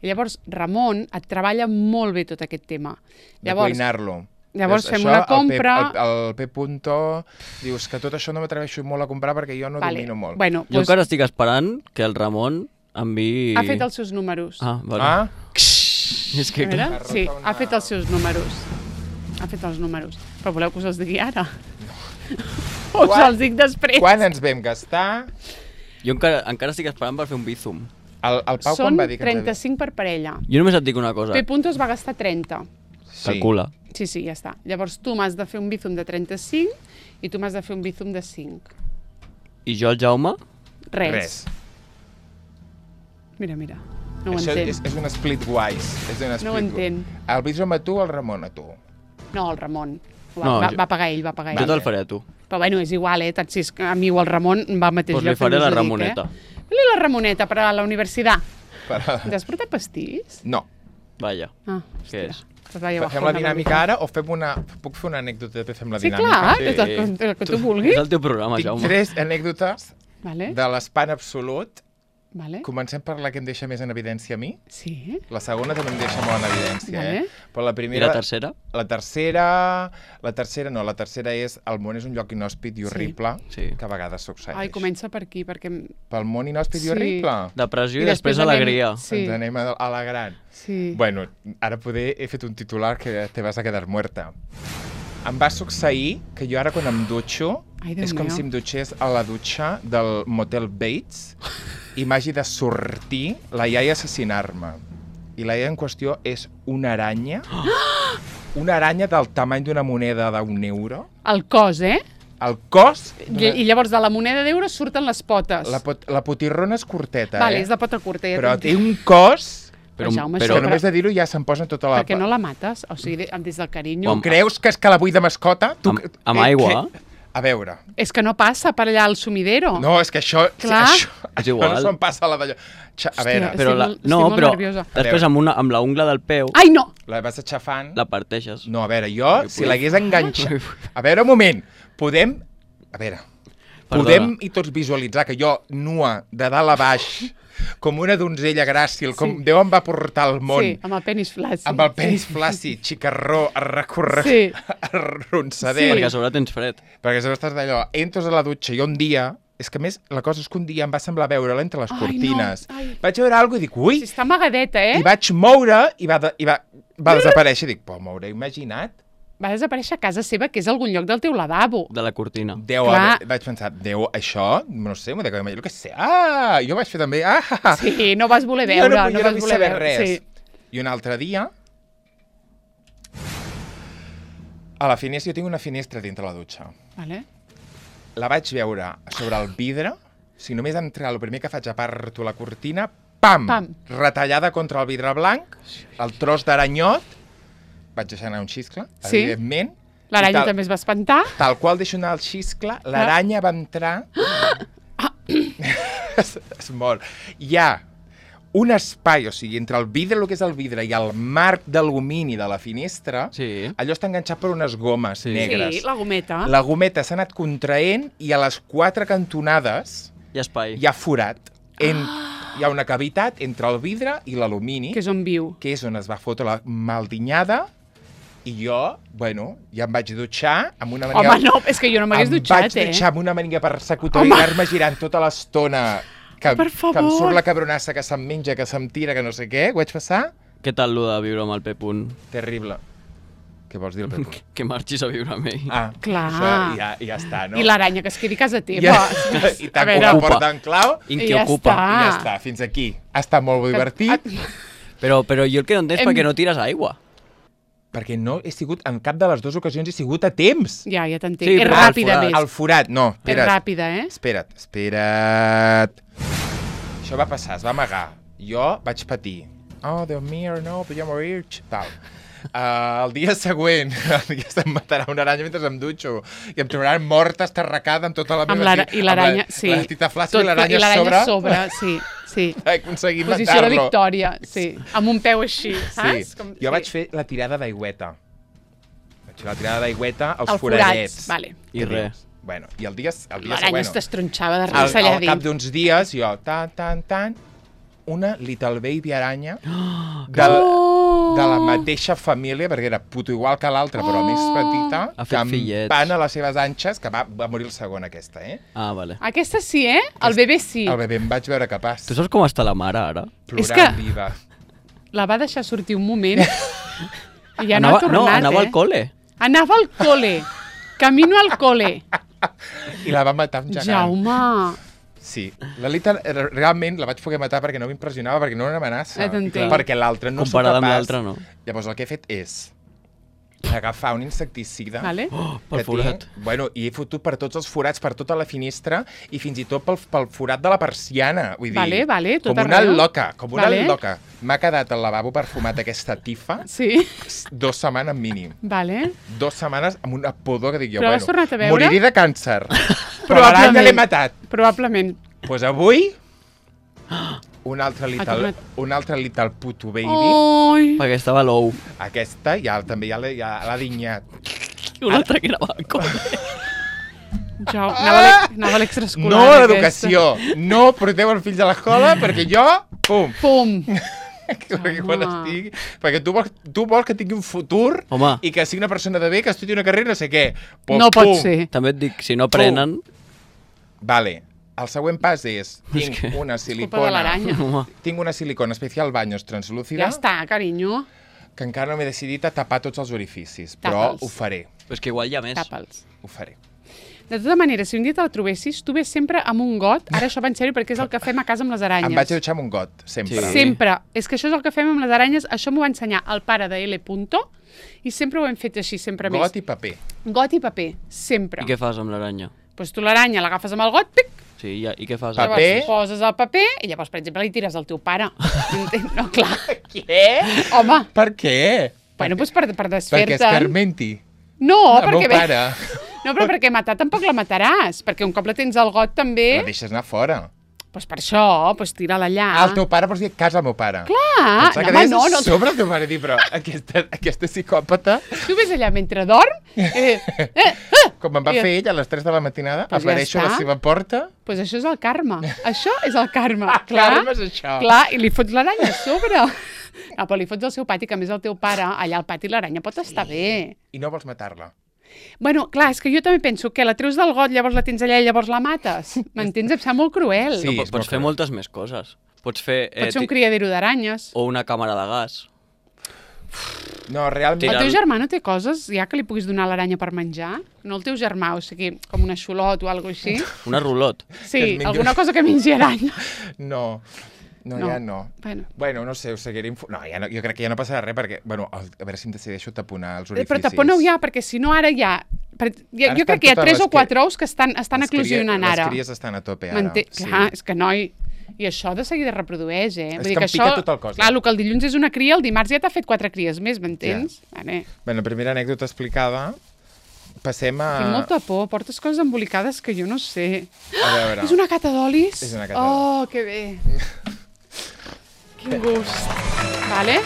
i llavors Ramon et treballa molt bé tot aquest tema. De Llavors, cuinar-lo. llavors És- fem això, una compra- El P, el, el P. Punto dius que tot això no m'atreveixo molt a comprar perquè jo no vale. domino molt. Bueno, Jo doncs, encara estic esperant que el Ramon enviï... ha fet els seus números. Ah, vale. Ah, És que A veure? clar. Sí, Una- ha fet els seus números. Ha fet els números. Però voleu que us els digui ara? O us Quan- els dic després? quan ens vam gastar... Jo encara, encara estic esperant per fer un bizum. El, el Pau Són quan va dir que ens trenta-cinc per parella. Jo només et dic una cosa. P. Punto es va gastar trenta. Sí. Calcula. Sí, sí, ja està. Llavors tu m'has de fer un bizum de trenta-cinc i tu m'has de fer un bizum de cinc. I jo, el Jaume, Res. Res. Mira, mira. No ho Això entenc. és, és un split-wise. És un No ho split entenc. El Bizom a tu, el Ramon a tu. No, el Ramon. Va, No, va, jo- va pagar ell, va pagar jo ell. te'l faré a tu. Però bueno, és igual, eh? Tant si és que a mi o el Ramon va al mateix Doncs lloc. li faré també us la ho dic, Ramoneta. Eh? Fes-li la Ramoneta per a la universitat. Per... T'has portat pastís? No. Vaja. Ah, Què hòstia. és? Pues vaya Fem bajona, la dinàmica ara o fem una... Puc fer una anècdota de fem la Sí, dinàmica? clar, Sí. és el, que- el que tu És vulguis. el teu programa, Tinc Jaume. tres anècdotes Vale. de l'espant absolut. Vale. Comencem per la que em deixa més en evidència a mi. Sí. La segona també em deixa molt en evidència, Vale. eh? Però la I primera... la tercera? La tercera... La tercera no, la tercera és el món és un lloc inhòspit i horrible, Sí. que a vegades succeeix. Ai, comença per aquí, perquè... Pel món inhòspit Sí. i horrible? Depressió i, I després, després anem- alegria. Sí. Ens anem a- alegrant. Sí. Bueno, ara poder he fet un titular que te vas a quedar muerta. Em va succeir que jo ara quan em dutxo Ai, Déu és com meu. si em dutxés a la dutxa del motel Bates i m'hagi de sortir la iaia a assassinar-me. I la iaia en qüestió és una aranya, una aranya del tamany d'una moneda d'un euro. El cos, eh? El cos... I, I llavors de la moneda d'euro surten les potes. La, pot, la potirrona és curteta, Vale, eh? és de pota curta. Ja Però t'entenc. té un cos... Però, Jaume, Però això, que només de dir-ho ja se'n posa tota la... Per què no la mates? O sigui, de- des del carinyo. Home, Creus que és que la vull de mascota? Tu... Amb- amb eh, aigua? que- A veure... És que no passa per allà al sumidero. No, és que això... Clar. Això, És això igual. no se'm passa la d'allò. Xa- A Hòstia, veure, és- Però Estic la, molt- estic no, molt però nerviosa. després amb, una, amb la ungla del peu Ai, no! la vas aixafant... la parteixes. No, a veure, jo, si l'hagués enganxat... A veure, un moment, podem... A veure, Perdona. podem i tots visualitzar que jo, nua, de dalt a baix, com una donzella gràcil, com Sí. Déu em va portar al món, Sí, amb el penis flàcid. amb el penis flàcid, xicarró, arrecorre... Sí. arronsadet... Perquè a sobre tens fred. Perquè sempre estàs d'allò, entres a la dutxa i un dia... És que a més, la cosa és que un dia em va semblar veure-la entre les Ai, cortines. no, ai. Vaig veure alguna cosa i dic, ui, Sí, està amagadeta, eh? i vaig moure i va, de, i va, va desaparèixer. Dic, però m'hauré imaginat. Va desaparèixer a casa seva, que és algun lloc del teu lavabo. De la cortina. Deu, Clar. haver- vaig pensar, deu, això, no sé, m'ho de imaginar, que sé. Ah, jo vaig fer també, ah, Sí, no vas voler jo veure, no, no, jo no vas vull voler saber veure. res. Sí. I un altre dia, a la finestra, jo tinc una finestra dintre la dutxa. Vale. La vaig veure sobre el vidre, si només entrar, el primer que faig aparto la cortina, pam, Pam. retallada contra el vidre blanc, el tros d'aranyot, vaig deixar anar un xiscle, Sí. evidentment. L'aranya i tal- també es va espantar. Tal qual deixo anar el xiscle, l'aranya va entrar... es, es mor. Hi ha un espai, o sigui, entre el vidre, el que és el vidre, i el marc d'alumini de la finestra, Sí. allò està enganxat per unes gomes Sí. negres. Sí, la gometa. La gometa s'ha anat contraent i a les quatre cantonades Hi ha espai. hi ha forat. En, hi ha una cavitat entre el vidre i l'alumini, Que és on viu. que és on es va fotre la maldinyada, i jo, bueno, ja em vaig dutxar amb una maniga... Home, no, és que jo no m'hagués em dutxat, vaig eh? dutxar amb una maniga persecutora i Home. anar-me girant tota l'estona que, Per que em favor. surt la cabronassa, que se'm menja, que se'm tira, que no sé què. Ho vaig passar Què tal lo de viure amb el P-Punt? terrible. Què vols dir, el Pepu? Que marxis a viure amb ell. Ah, Clar. Això ja, ja està, no? I l'aranya que es quedi a casa teva. Ja, I A tant veure, com la Ocupa. porta en clau, I I qui ja ocupa. està. i ja està, fins aquí. Ha estat molt divertit, Però, però jo el que no entenc és Hem- per què no tires aigua. perquè no he sigut, en cap de les dues ocasions he sigut a temps. Ja, ja t'entenc. Sí, és però al ràpida, forat. més. Al forat, no, És espera't. ràpida, eh? Espera't, espera't. Això va passar, es va amagar. Jo vaig patir. Oh, Déu mío, no, voy a morir, tal. Uh, el dia següent, el dia se'm matarà una aranya mentre em dutxo i em trobaran morta, estarracada amb tota la meva... Amb l'ara- ti- I l'aranya, amb la, sí. La tita flàcida Tot- i l'aranya i l'aranya sobre. a sobre, sí, sí. Vaig aconseguir Posició de matar-lo. victòria, sí. Amb un peu així, saps? Sí. Com, Jo vaig fer la tirada d'aigüeta. Vaig fer la tirada d'aigüeta als El foradets. forats, vale. I res. Bueno, i el dia, el dia L'aranya següent... es t'estronxava de Al, res allà al cap dins. d'uns dies, jo, tan, tan, tan, una Little Baby aranya de, Oh! de la mateixa família, perquè era puto igual que l'altra, però més petita, Ha fet fillets. campant a les seves anxes, que va, va morir el segon, aquesta, eh? Ah, vale. Aquesta sí, eh? El bebè sí. El bebè em vaig veure capaç, Tu saps com està la mare ara? plorant És que- viva. La va deixar sortir un moment i ja no anava, ha tornat, no, anava eh? al col·le. Anava al cole. Camino al cole. I la va matar amb gegant. Jaume. Sí, la Lita realment la vaig poder matar perquè no m'impressionava, perquè no era una amenaça. Ja t'entenc. Perquè l'altra no sóc Comparada amb capaç. l'altra, no. Llavors el que he fet és agafar un insecticida Vale? Oh, pel que forat. tinc, bueno, i he fotut per tots els forats, per tota la finestra i fins i tot pel, pel forat de la persiana. Vull dir, Vale, vale, tot com una arreu. loca, com una Vale. loca. M'ha quedat al lavabo perfumat aquesta tifa Sí, dos setmanes mínim. vale. Dos setmanes amb una pudor que dic jo, Però bueno, has tornat a veure? moriré de càncer. Però Probablement. l'aranya l'he matat. Probablement. Doncs pues avui, un altre little, tornat. un altre little puto baby. Ai. Perquè estava l'ou. Aquesta ja també ja l'he ja l'ha dinyat. I un altre que anava al col·le. Jo anava a l'e- anava a l'extraescolar. No a aquesta. l'educació. No porteu els fills a l'escola perquè jo, pum, Pum! perquè quan Home. estigui... Perquè tu vols, tu vols que tingui un futur Home. i que sigui una persona de bé, que estudi una carrera, no sé què. Pues, No pot pum. ser. També et dic, si no prenen... Vale. El següent pas és, tinc que- una Culpa de silicona... l'aranya. Home, Tinc una silicona especial baños translúcida Ja està, carinyo. que encara no m'he decidit a tapar tots els orificis, però Tapa'ls. ho faré, és que igual hi ha més. Tapa'ls. ho faré. De tota manera, si un dia te'l trobessis, tu ves sempre amb un got, ara això va en sèrio perquè és el que fem a casa amb les aranyes. Em vaig a dutxar amb un got, sempre. Sí. Sempre. És que això és el que fem amb les aranyes. Això m'ho va ensenyar el pare de L. Punto i sempre ho hem fet així, sempre més. Got i paper. Got i paper, sempre. I què fas amb l'aranya? Pues tu l'aranya l'agafes amb el got, pic, Sí, i, i què fas? Paper. llavors poses el paper i llavors, per exemple, li tires al teu pare. Entens? No, clar. Què? Home, Per què? bueno, doncs per, per Perquè desfer-te'n. escarmenti. No, El perquè... meu pare. No, però perquè matar tampoc la mataràs, perquè un cop la tens al got també... La deixes anar fora. Doncs per això, doncs tira-la allà. Ah, el teu pare vols dir a casa del meu pare. Clar, Pensava que no, home, deies no, no. sobre el teu pare, dir, però aquesta, aquesta psicòpata, Tu ves allà mentre dorm, eh, eh, eh, com em va I- fer ell a les tres de la matinada, Pues ja apareixo a la està. seva porta. pues això és el karma. Això és el karma. Ah, karma és això. Clar, i li fots l'aranya a sobre. No, però li fots al seu pati, que a més el teu pare, allà al pati l'aranya pot estar bé. I no vols matar-la. Bueno, clar, és que jo també penso que la treus del got, llavors la tens allà i llavors la mates. M'entens? Em sap molt cruel. Sí. No, és po- molt pots fer cruel. moltes més coses. Pots fer... Pot ser un ti- criadero d'aranyes. O una càmera de gas. No, realment... El Tira- teu germà no té coses ja que li puguis donar a l'aranya per menjar? No el teu germà, o sigui, com una xulot o alguna així? Una rulot. Sí, Que es mengi- alguna cosa que mengi aranya. No, no, No. ja no. Bueno. Bueno, no sé, ho seguiré... Info... No, ja no, jo crec que ja no passarà res, perquè... Bueno, el- a veure si em decideixo taponar els Eh, orificis. Però tapona-ho ja, perquè si no ara ja... Per, ja Ara jo estan crec que hi ha totes tres les o quatre cri- ous que estan, estan Les cries- eclosionant ara. Les cries estan a tope ara. M'entén? Sí. Clar, és que noi... I això de seguida reprodueix, eh? És Vull dir que em que pica això, tot el cos, clar, ja. el que el dilluns és una cria, el dimarts ja t'ha fet quatre cries més, m'entens? Vale. Bé, la primera anècdota explicada. Passem a... Tinc molta por, portes coses embolicades que jo no sé. A veure... És una cata d'olis? És una cata Oh, que bé. Quin gust. Vale?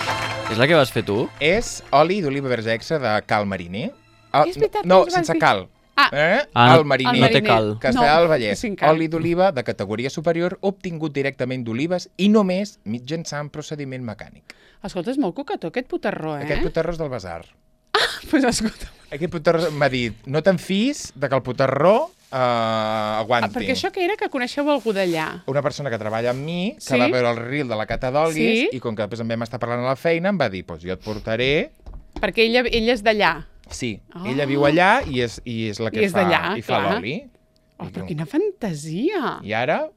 És la que vas fer tu? És oli d'oliva verge extra de cal mariner. Ah, És veritat, no, ens vas sense dir. cal. Ah. Eh? Ah, el mariner. el no té mariner. cal. Castellà No, del Vallès. sin cal. Oli d'oliva de categoria superior obtingut directament d'olives i només mitjançant procediment mecànic. Escolta, és molt coquetó aquest putarró, eh? Aquest putarró és del basar. Pues escolta. Aquest putarró m'ha dit, no te'n fis de que el putarró eh, Ah, aguanti. perquè això que era que coneixeu algú d'allà? Una persona que treballa amb mi, que Sí? va veure el reel de la cata d'olis, Sí? i com que després em vam estar parlant a la feina, em va dir, pues jo et portaré... Perquè ella, ella és d'allà. Sí, Oh. ella viu allà i és, i és la que I és fa, d'allà, i fa clar. l'oli. Oh, I però diu, quina fantasia! I ara,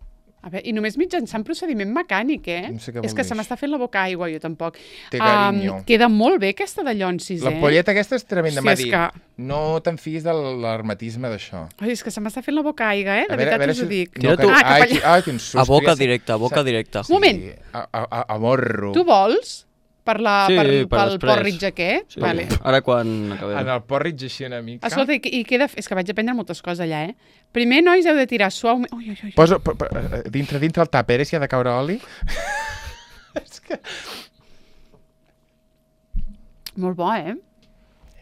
A veure, I només mitjançant procediment mecànic, eh? No sé què És vol que dir se m'està fent la boca aigua, jo tampoc. Té carinyo. queda molt bé aquesta de llonsis, eh? l'ampolleta aquesta és tremenda. Hòstia, M'ha és dit, que- no te'n fiïs de l'hermetisme d'això. Ai, és que se m'està fent la boca aigua, eh? De A veure- a veritat veure us ho si- dic. Tira No, que... tu. Ah, cap ai, allà. qui- ai, quin susto. A boca ja sé- directa, a boca sa- directa. Sí, Moment. A, a, a, a morro. Tu vols? Per la, Sí, per, per pel després. porridge aquest? Sí. Vale. Ara quan acabem. En el porridge així una mica. Escolta, i, i queda... És que vaig aprendre moltes coses allà, eh? Primer, nois, heu de tirar suaument... Ui, ui, ui. Posa, po, po, eh, dintre, dintre el tàper, eh, si ha de caure oli. És que... Molt bo, eh?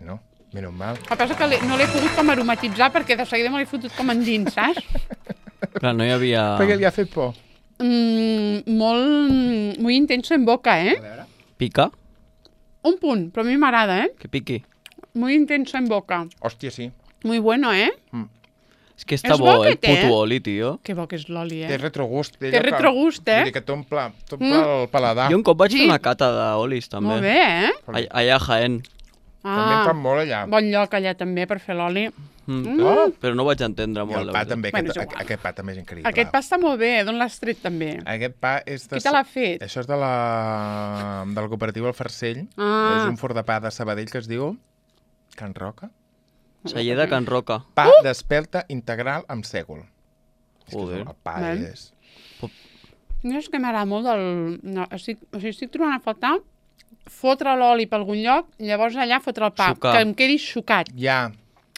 No, menys mal. El que passa que l'he- no l'he pogut com aromatitzar perquè de seguida me l'he fotut com endins, saps? Clar, no hi havia... Perquè li ha fet por. Mm, molt... Muy intenso en boca, eh? Pica? Un punt, però a mi m'agrada, eh? Que piqui. Muy intenso en boca. Hòstia, sí. Muy bueno, eh? És que està És bo, bo el aquest, eh? puto oli, tio. Que bo que és l'oli, Té eh? retrogust. Té retrogust, eh? Vull dir que t'omple t'omple el paladar. Jo un cop vaig Sí. fer una cata d'olis, també. Molt bé, eh? All- Allà a Jaén. També en Ah, fan molt allà. bon lloc allà també per fer l'oli. Mm. Mm. Però, però no ho vaig entendre I molt. el la pa veritat. també, Bueno, aquest, és igual. aquest pa també és increïble. Aquest pa està molt bé, d'on l'has tret també? Aquest pa és de... Qui te l'ha fet? Això és de la, de la cooperativa El Farcell. Ah. És un forn de pa de Sabadell que es diu Can Roca. Celler de Can Roca. Pa Uh! d'espelta integral amb sègol. És que Joder. El pa Val. és... No és que m'agrada molt del... No, estic, o sigui, estic trobant a faltar fotre l'oli per algun lloc i llavors allà fotre el pa, Sucar. que em quedi sucat. Ja,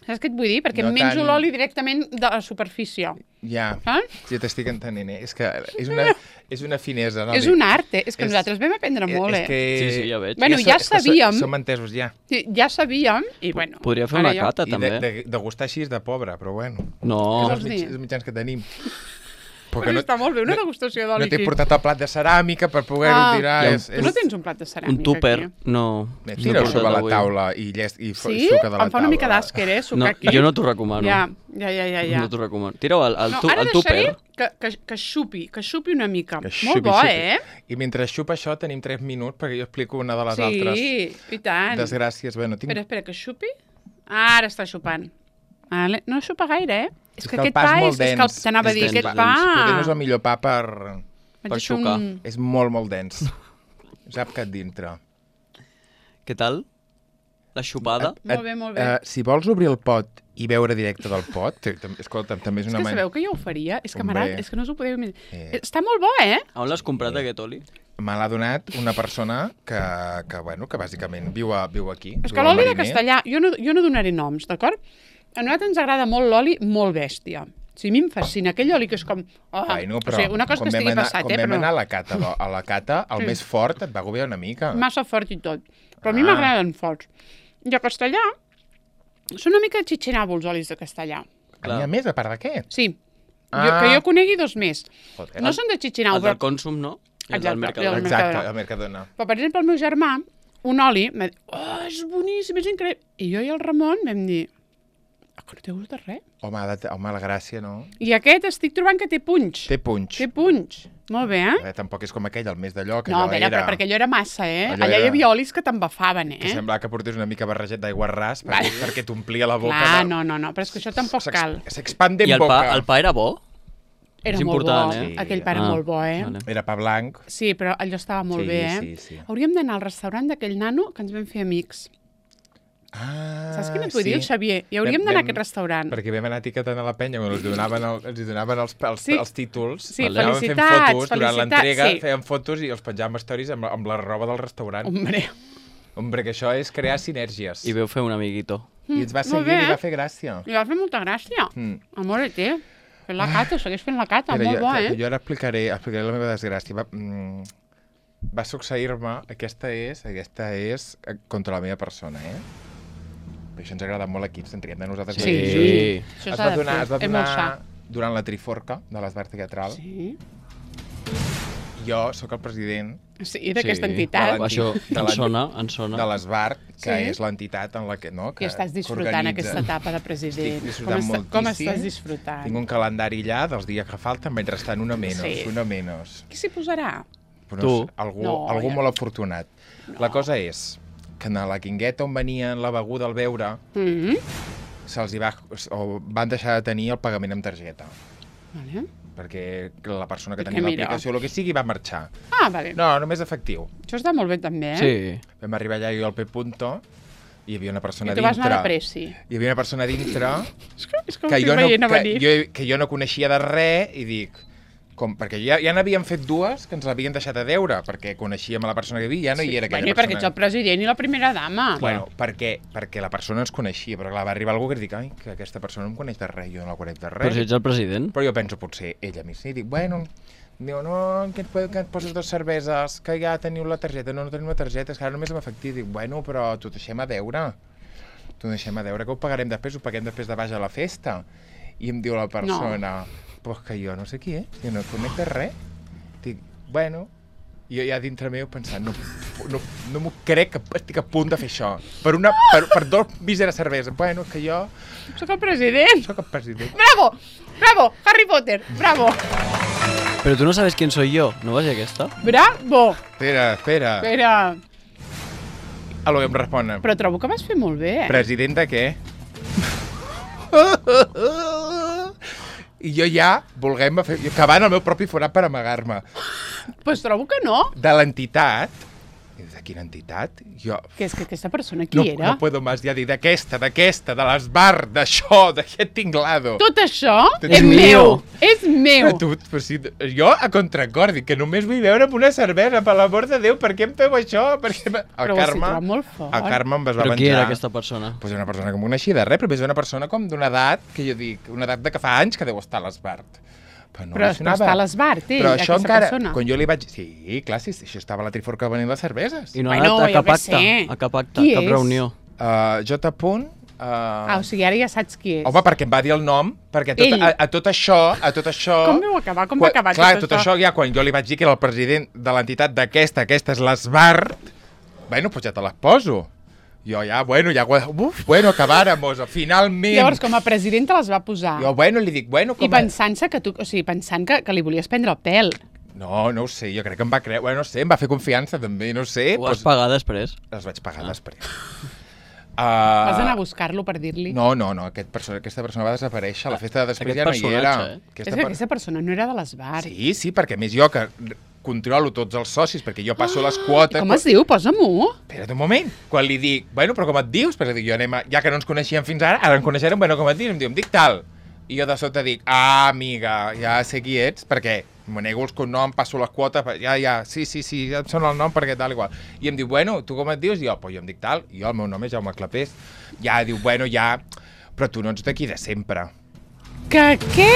Saps què et vull dir? Perquè No no menjo tant- l'oli directament de la superfície. Ja, Saps? ja t'estic entenent, eh? És que és una, és una finesa, no? És un art, eh? És que És- nosaltres vam aprendre molt, És eh? que... Sí, sí, ja veig. Bueno, so- ja és que so- sabíem. Som entesos ja. Sí, ja sabíem, i bueno... Podria fer ara una ja- cata, I de, també. de, de gustar així és de pobre, però bueno. No, Què És vols els, dir? mig, els mitjans que tenim. Però està molt bé, una degustació No d'oli t'he aquí. portat el plat de ceràmica per poder-ho Ah. tirar. Hi ha És, Tu és... no tens un plat de ceràmica un tupper, aquí? no. Bé, no he Tira-ho portat sobre la avui. taula i, llest, i fo- Sí? suca de la Em fa una mica taula. d'àsquer, eh, sucar No, aquí. jo no t'ho recomano. Ja, ja, ja, ja. ja. No t'ho recomano. Tira-ho al, al, No, tu, ara al deixaré tupper. que, que, que xupi, que xupi una mica. Que Molt xupi, bo, xupi. eh? I mentre xupa això tenim tres minuts perquè jo explico una de les Sí, altres i tant. desgràcies. Bueno, tinc... Espera, espera, que xupi. Ah, ara està xupant. Vale. No xupa gaire, eh? És, És que, que el aquest pa és pa molt és, és que el- dens. t'anava a És dir, dens, aquest és pa... dens. Potser no és el millor pa per... Vaig per a fer xucar. un- És molt, molt dens. Sap que et dintre. Què tal? La xupada? Molt bé, molt bé. Uh, si vols obrir el pot i veure directe del pot, t- t- escolta, també és És una que manera... sabeu que jo ho faria? És que Hombre. m'agrada, és que no us ho podeu imaginar. Eh. Està molt bo, eh? On l'has comprat, aquest oli? Me l'ha donat una persona que, que, bueno, que bàsicament viu, a, viu aquí. És viu que al l'oli de Mariner. castellà, jo no, jo no donaré noms, d'acord? A nosaltres ens agrada molt l'oli molt bèstia. O sigui, a mi em fascina aquell oli que és com... Oh, Bueno, però o sigui, una cosa quan que vam estigui anar, passat, quan eh? vam Però anar a la cata, do- a la cata el Sí. més fort et va agobiar una mica. massa fort i tot. Però a mi Ah. m'agraden forts. I a castellà són una mica xitxinabo els olis de castellà. N'hi ha més, a part de què? Sí. Ah. Jo, que jo conegui dos més. Joder. No són de xitxinau, El del però... consum, no? I el Exacte, del Mercadona. i el- Exacte, Mercadona. el Mercadona. Però, per exemple, el meu germà, un oli, m'ha dit, oh, és boníssim, és increïble. I jo i el Ramon vam dir, ah, que no té gust de res. Home, ha de, home, la gràcia, no? I aquest estic trobant que té punx. Té punx. Té punx. Molt bé, eh? Eh, tampoc és com aquell, el més d'allò, que No, a allò veure, era... però perquè allò era massa, eh? Allò Allà era- hi havia olis que t'embafaven, Que eh? semblava que portés una mica barrejat d'aigua ras perquè, Va. perquè t'omplia la boca. Clar, de- no, no, no, però és que això tampoc S'ex- cal. S'expande en I el boca. pa, el pa era bo? Era és molt important, bo, eh? Sí. aquell pa era Ah, molt bo, eh? vale. Era pa blanc. Sí, però allò estava molt Sí, bé, eh? sí, sí. Hauríem d'anar al restaurant d'aquell nano que ens vam fer amics. Ah, Saps quin et vull dir, el Xavier? I hauríem Vam- d'anar a vam- aquest restaurant. Perquè vam anar etiquetant a la penya quan els donaven, el, els hi donaven els, els, Sí. els títols. Sí, Anàvem fent felicitats, fotos durant felicitats, l'entrega, sí. fèiem fotos i els penjàvem stories amb, amb la roba del restaurant. Hombre, Hombre, que això és crear sinergies. I veu fer un amiguito. I ens va Mm, molt seguir i bé, va eh? fer gràcia. li va fer molta gràcia. Mm. Amor, té. Fent la cata, segueix fent la cata, Mira, molt jo, bo, que- eh? que jo ara explicaré, explicaré la meva desgràcia. Va, mm, va succeir-me, aquesta és, aquesta és eh, contra la meva persona, eh? Però això ens agrada molt aquí, ens en triem de nosaltres. Sí, mateixos. Sí. Això Es s'ha va de donar, fer. es va És molt donar sa. durant la Triforca de l'Esbar Teatral. Sí, Jo sóc el president sí d'aquesta Sí. entitat. De la- Això de en la- sona, en sona. de l'Esbar, que Sí. és l'entitat en la que... No, que I estàs que disfrutant organitza. aquesta etapa de president. Estic disfrutant com, està, com moltíssim. estàs disfrutant? Tinc un calendari allà dels dies que falten, vaig restant una menys, Sí. una menys. Qui s'hi posarà? Però Tu. no sé, algú, No, algú ja. molt afortunat. La cosa és que en la guingueta on venien la beguda al beure, Mm -hmm. se'ls hi va, o van deixar de tenir el pagament amb targeta. vale. Perquè la persona que Perquè tenia mira. l'aplicació, el que sigui, va marxar. Ah, vale. No, només efectiu. Això està molt bé, també, eh? Sí. Vam arribar allà jo al P punto i hi havia una persona I tu vas dintre. anar de pressi. Hi havia una persona dintre És que, és que, que ho jo, estic no, veient a que, venir. jo, que jo no coneixia de res i dic, com, perquè ja, ja n'havien fet dues que ens l'havien deixat a deure, perquè coneixíem a la persona que hi havia, ja no hi era aquella bueno, i perquè persona. ets el president i la primera dama. Bueno, perquè, perquè la persona ens coneixia, però clar, va arribar algú que dic, ai, que aquesta persona no em coneix de res, jo no la conec de res. Però si ets el president. Però jo penso, potser ella a mi sí, dic, bueno, diu, no, que et, po- que et poses dos cerveses, que ja teniu la targeta, no, no tenim la targeta, és que ara només amb efectiu. Dic, bueno, però t'ho deixem a deure. T'ho deixem a deure, que ho pagarem després, ho paguem després de baix a la festa. I em diu la persona, no. Pues que jo no sé qui és, jo no conec de res. Dic, bueno, i jo ja dintre meu pensant, no, no, no m'ho crec que estic a punt de fer això. Per, una, per, per dos míseres cerveses. Bueno, és que jo Soc el president. sóc el president. Bravo! Bravo! Harry Potter! Bravo! Però tu no sabes quién soy yo, no vas a aquesta? Bravo! Espera, espera. Espera. A lo que em responen. Però trobo que vas fer molt bé, eh? President de què? I jo ja, volguem fer, cavant el meu propi forat per amagar-me. Pues trobo que no. De l'entitat, I de quina entitat? Jo... Que és que aquesta persona qui no, era? No puedo más ja dir d'aquesta, d'aquesta, de l'Esbar, d'això, d'aquest tinglado. Tot això Tot és és meu. meu. És meu. A tu, però si, jo a contracor dic que només vull veure amb una cervesa, per l'amor de Déu, per què em feu això? Per què... El Però ho has Carme, situat molt fort. el Carme em es va Però menjar. qui era aquesta persona? Pues una persona que em coneixia de res, però és una persona com d'una edat, que jo dic, una edat de que fa anys que deu estar a l'Esbart. Però, no Però, li però sonava. està a l'Esbart, ell, Però això aquesta encara, persona. quan jo li vaig... Sí, clar, sí, això estava a la Triforca venint les cerveses. I no ha Bueno, anat a jo cap què acte, sé. a cap acte, Qui cap és? reunió. Uh, J. Punt... Uh... Ah, o sigui, ara ja saps qui és. Home, perquè em va dir el nom, perquè tot, Ell. a, a tot això, a tot això... Com vau acabar? Com quan, va acabar clar, tot, tot això? ja quan jo li vaig dir que era el president de l'entitat d'aquesta, aquesta és l'Esbart, bueno, pues ja te les poso. Jo ja, bueno, ja... Uf, bueno, acabáramos, finalment. Llavors, com a president te les va posar. Jo, bueno, li dic, bueno... Com I pensant-se que tu... O sigui, pensant que, que li volies prendre el pèl. No, no ho sé, jo crec que em va creure... Bueno, no sé, em va fer confiança també, no sé. Ho vas pagar després? Les vaig pagar Ah. després. Uh, Vas anar a buscar-lo per dir-li... No, no, no, aquest perso aquesta persona va desaparèixer, a la festa de després Aquest ja no hi era. personatge, eh? És Aquesta que per- aquesta persona no era de l'Esbart. Sí, sí, perquè a més jo que controlo tots els socis, perquè jo passo les quotes... Com es diu? Posa-m'ho. Espera't un moment. Quan li dic, bueno, però com et dius? Perquè dic, jo anem a... ja que no ens coneixíem fins ara, ara ens coneixerem, bueno, com et dius? Em diu, em dic tal. I jo de sota dic, ah, amiga, ja sé qui ets, perquè me nego els cognoms, passo les quotes, ja, ja, sí, sí, sí, ja em sona el nom perquè tal, igual. I em diu, bueno, tu com et dius? I jo, pues jo em dic tal, i jo, el meu nom és Jaume Clapés. Ja, diu, bueno, ja, però tu no ets d'aquí de sempre. Que què?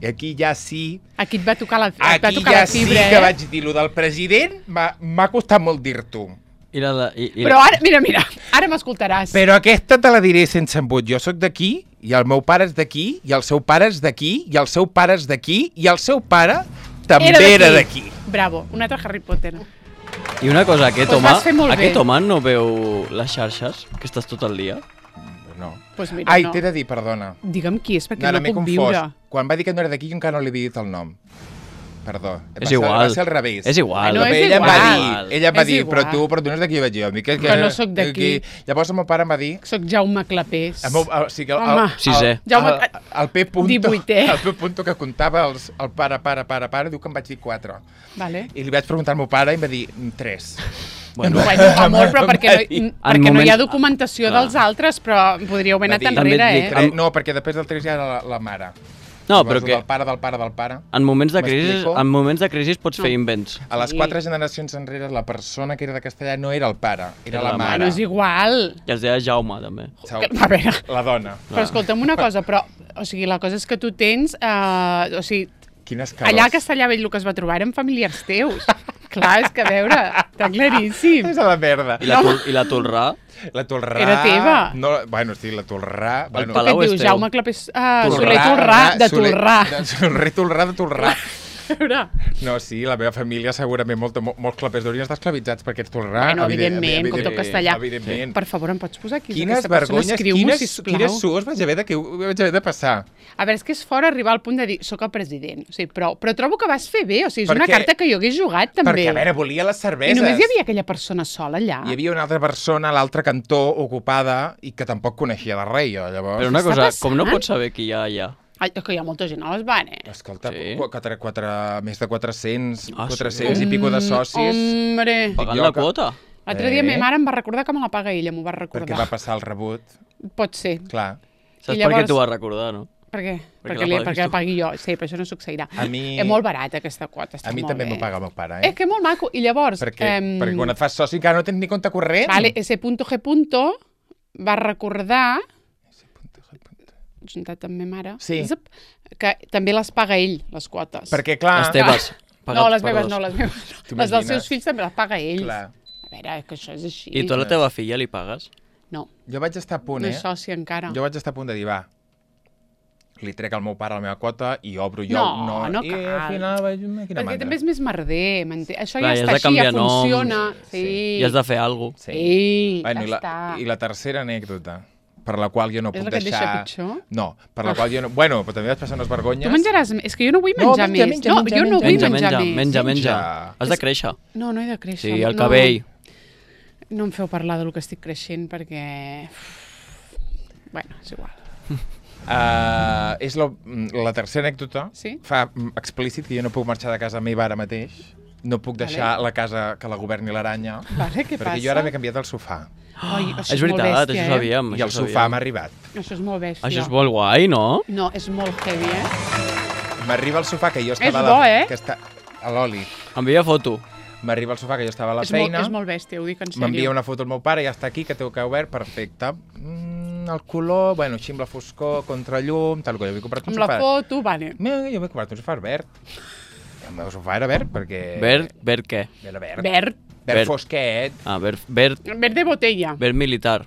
I aquí ja sí... Aquí et va tocar la, et va Aquí tocar ja la fibra, sí que eh? vaig dir lo del president, m'ha m'ha costat molt dir-t'ho. I la, de- i, i Però ara, mira, mira, ara m'escoltaràs. Però aquesta te la diré sense embut. Jo sóc d'aquí, i el meu pare és d'aquí, i el seu pare és d'aquí, i el seu pare és d'aquí, i el seu pare també era d'aquí. Bravo, un altre Harry Potter. I una cosa, aquest Pues home, vas fer molt aquest bé. home no veu les xarxes, que estàs tot el dia? No. Pues mira, Ai, no. t'he de dir, perdona. Digue'm qui és, perquè No, no, no m'he puc confós. viure. Quan va dir que no era d'aquí, jo encara no li havia dit el nom. Perdó. Va És ser- igual. Va ser al revés. És igual. No, és ella em va igual. dir, ella em va És dir, però igual. tu, però tu no és d'aquí, vaig dir. jo. Em dic, Que no sóc d'aquí. Llavors el meu pare em va dir... Soc Jaume Clapés. El, meu, el, o sigui, el, Home. el, Sisè. el, Jaume- el, el P. Punto, divuitè. el P. Punto que comptava els, el pare, pare, pare, pare, diu que em vaig dir quatre. Vale. I li vaig preguntar al meu pare i em va dir mm, tres. Bueno, Bueno, amor, però perquè, no, En perquè no hi ha moments- documentació Clar. dels altres, però podríeu haver Va anat dir- enrere, També et eh? dic- Tres, no, perquè després del tres ja era la, la mare. no, Llavors, però que Del pare, del pare, del pare. en moments de crisi, M'explico? en moments de crisi pots fer No. invents. A les Sí. quatre generacions enrere, la persona que era de castellà no era el pare, era, Era la la mare. No és igual. I es deia Jaume, també. Sau- Que- A veure, La dona. però escolta'm una cosa, però, o sigui, la cosa és que tu tens, eh, o sigui, Quines cares. allà a Castellà Vell el que es va trobar eren familiars teus. Clar, és que a veure, està claríssim. És a la merda. I la, tul, i la Tolrà? La Tolrà... Era teva. No, bueno, sí, la Tolrà... El Bueno, Què Palau et és dius, teu. Jaume Clapés? Uh, Soler Tolrà, de Soler- Tolrà. de Soler Tolrà de Tolrà. A veure, No, sí, la meva família segurament molt, molt, molts clapers haurien estar esclavitzats per aquests Tolrà. Bueno, evident- evidentment, com tot evident- castellà. Evidentment. per favor, em pots posar aquí? Quines Aquesta persona, vergonyes, escriu-m'ho, quines, sisplau. quines suors vaig haver de, que vaig haver de passar. A veure, és que és fort arribar al punt de dir, soc el president, o sigui, però, però trobo que vas fer bé, o sigui, és Perquè- una carta que jo hagués jugat també. Perquè, a veure, volia les I cerveses. només hi havia aquella persona sola allà. Hi havia una altra persona a l'altre cantó ocupada i que tampoc coneixia de res, jo, llavors... Però una està cosa, passant? com no pots saber qui hi ha allà? Ai, que hi ha molta gent a les van, eh? Escolta, Sí. sí. quatre, quatre, més de quatre-cents, Ah, sí? quatre-cents i pico de socis. Hombre. Pagant jo la que- quota? L'altre dia Eh? ma mare em va recordar que me la paga ella, m'ho va Perquè recordar. va passar el rebut, Pot ser. clar. Saps I per què llavors- t'ho vas recordar, no? Per què? Perquè Perquè, la li, paguis perquè la tu. pagui jo. Sí, però això no succeirà. A mi- És molt barata aquesta quota, està A mi molt també bé. m'ho paga el meu pare, eh? És que molt maco. I llavors... perquè, em, perquè quan et fas soci encara no tens ni compte corrent. Vale, ese punto G punto va recordar, juntat amb ma mare, Sí. zip, que també les paga ell, les quotes. Perquè, clar... Les teves. No, pagats les per meves dos. no, les meves no. Les dels T'imagines? seus fills també les paga ell. Clar. A veure, que això és així. I tu a la teva filla li pagues? No, Jo vaig estar a punt, no eh? és soci encara. Jo vaig estar a punt de dir, va, li trec al meu pare la meva quota i obro jo... No, no I cal. al final vaig... Quina Perquè mandra. també és més merder, m'entens? Això Clar, ja i has està de així, ja canviar noms. funciona. Sí. I has de fer alguna cosa. Sí, Bueno, ja i, la, està. I la tercera anècdota, per la qual jo no És puc la que et deixar... deixa pitjor? No, per la qual jo no... Bueno, però també vaig passar unes vergonyes. Tu menjaràs més. És que jo no vull No, menjar menja, més. menja, no, menja, jo no menja. vull Menja, menjar menja, més. menja, menja. Menja. Has de créixer. No, no he de créixer. Sí, el no. cabell. No em feu parlar del que estic creixent perquè... Bueno, és igual. Uh, és la, la tercera anècdota. Sí? Fa mm, explícit que jo no puc marxar de casa meva ara mateix. no puc deixar vale. la casa que la governi l'aranya, Vale, què perquè passa? jo ara m'he canviat el sofà. Ai, això És és molt veritat, bèstia, això eh? sabíem. I el això sofà sabíem. m'ha arribat. Això és molt bèstia. Això és molt guai, no? No, és molt heavy, eh? M'arriba el sofà que jo estava... És a la... bo, eh? Que està... A l'oli. Envia foto. M'arriba el sofà que jo estava a la És molt, feina. és molt bèstia, ho dic en sèrio. M'envia una foto al meu pare, ja està aquí, que té el que obert, perfecte. Mm, el color, bueno, així amb la foscor, contrallum, tal, jo m'he comprat un Amb sofà... la foto, vale. Mira, jo m'he comprat un sofà verd. El meu sofà era verd perquè... Verd, verd què? Era verd. Verd. Verd Verd. fosquet. Ah, verd, verd, Verde botella. verd militar.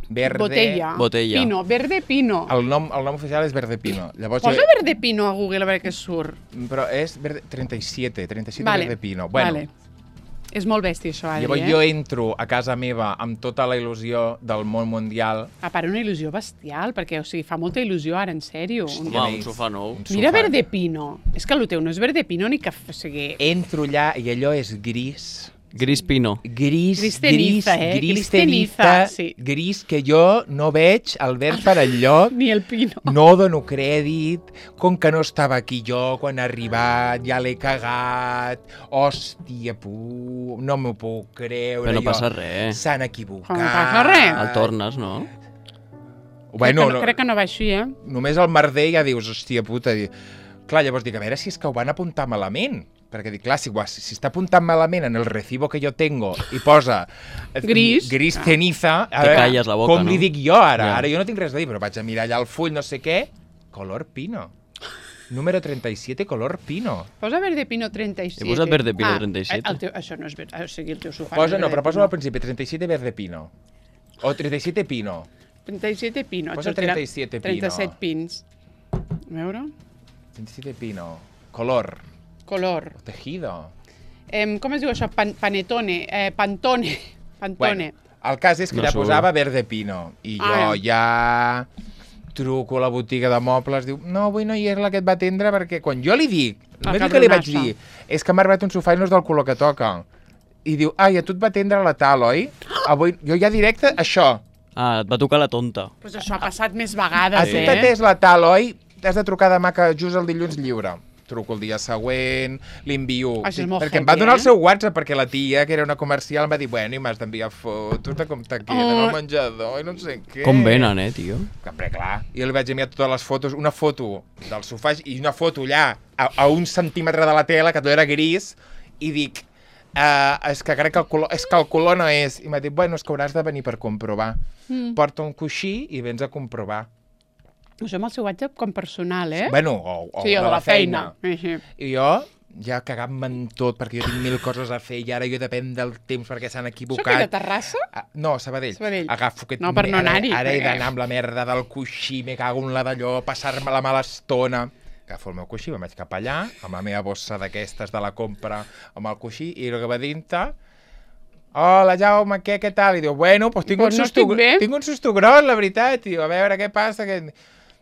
Verde... Botella. Botella. Pino, verde pino. El nom, el nom oficial és Verde Pino. Llavors, Posa jo... verde pino a Google a veure què surt. Però és verde... trenta i siete, trenta i siete Vale. Verde Pino. Bueno, Vale. És molt bèstia, això, Adri, llavors eh? jo entro a casa meva amb tota la il·lusió del món mundial. A part, una il·lusió bestial, perquè, o sigui, fa molta il·lusió ara, en sèrio. Un... Home, un sofà nou. Un Mira sofà. verde pino. És que el teu no és verde pino ni que... O sigui, Entro allà i allò és gris. Gris pino. Gris, Gris gris, ceniza, eh? gris, Gris ceniza, ceniza, sí. gris que jo no veig el verd per enlloc. ni el pino. No dono crèdit, com que no estava aquí jo quan ha arribat, ja l'he cagat, hòstia, pu, no m'ho puc creure. Però no jo. passa res. S'han equivocat. No passa res. El tornes, no? Bueno, crec, que no, crec que no va així, eh? només el merder ja dius, hòstia puta. Di... Clar, llavors dic, a veure si és que ho van apuntar malament. Perquè dic, clar, si, si, si està apuntant malament en el recibo que jo tengo i posa eh, Gris. gris ceniza, a Te veure, calles la boca, com no? li dic jo ara? Ja. Ara jo no tinc res a dir, però vaig a mirar allà el full, no sé què, color pino. Número trenta i siete, color pino. Posa verde pino trenta i siete. He posat verde pino ah, trenta i siete. El teu, això no és verd, o sigui, el teu sofà Posa, és no, verde però posa pino. al principi, trenta i siete verde pino. O trenta i siete pino. trenta i siete pino. et Posa sortirà trenta i siete pino. trenta-set pins. A veure. trenta i siete pino. Color. Color. Tejido. Eh, com es diu això? Pan, panetone. Eh, pantone. Pantone. Bueno, el cas és que No ja surt. posava verde pino. I jo Ah. ja truco a la botiga de mobles, diu, no, avui no hi és la que et va atendre perquè quan jo li dic, El només el que li vaig cabronasso. dir és que m'ha arribat un sofà i no és del color que toca. I diu, ai, a tu et va atendre la tal, oi? Avui, jo ja directe, això. Ah, et va tocar la tonta. Pues això ha passat més A vegades, tu eh? t'ha atès la tal, oi? T'has de trucar demà que just el dilluns lliure. Truco el dia següent, li envio... Això és Sí, molt perquè em heavy, va donar eh? el seu WhatsApp, perquè la tia, que era una comercial, em va dir, bueno, i m'has d'enviar fotos de com te queden Oh. al menjador i no sé què. Com venen, eh, tio? Sempre, clar. I jo li vaig enviar totes les fotos, una foto del sofà i una foto allà, a, a un centímetre de la tela, que tot era gris, i dic, uh, és que crec que el color, és que el color no és. I m'ha dit, bueno, és que hauràs de venir per comprovar. Mm. Porta un coixí i vens a comprovar. Això amb el seu WhatsApp com personal, eh? Bueno, o, o sí, de o de la feina. feina. I jo ja cagant-me en tot, perquè jo tinc mil coses a fer i ara jo depèn del temps perquè s'han Això equivocat. que de Terrassa? Ah, no, Sabadell. Sabadell. Agafo aquest... No, per no ara- anar-hi, Ara he perquè- d'anar amb la merda del coixí, me cago en la d'allò, passar-me la mala estona. Agafo el meu coixí, me'n vaig cap allà, amb la meva bossa d'aquestes de la compra, amb el coixí, i el que va dintre... Hola, Jaume, què, què tal? I diu, bueno, doncs tinc, Doncs un no susto, estic bé. tinc un susto gros, la veritat. I diu, a veure, què passa? Que...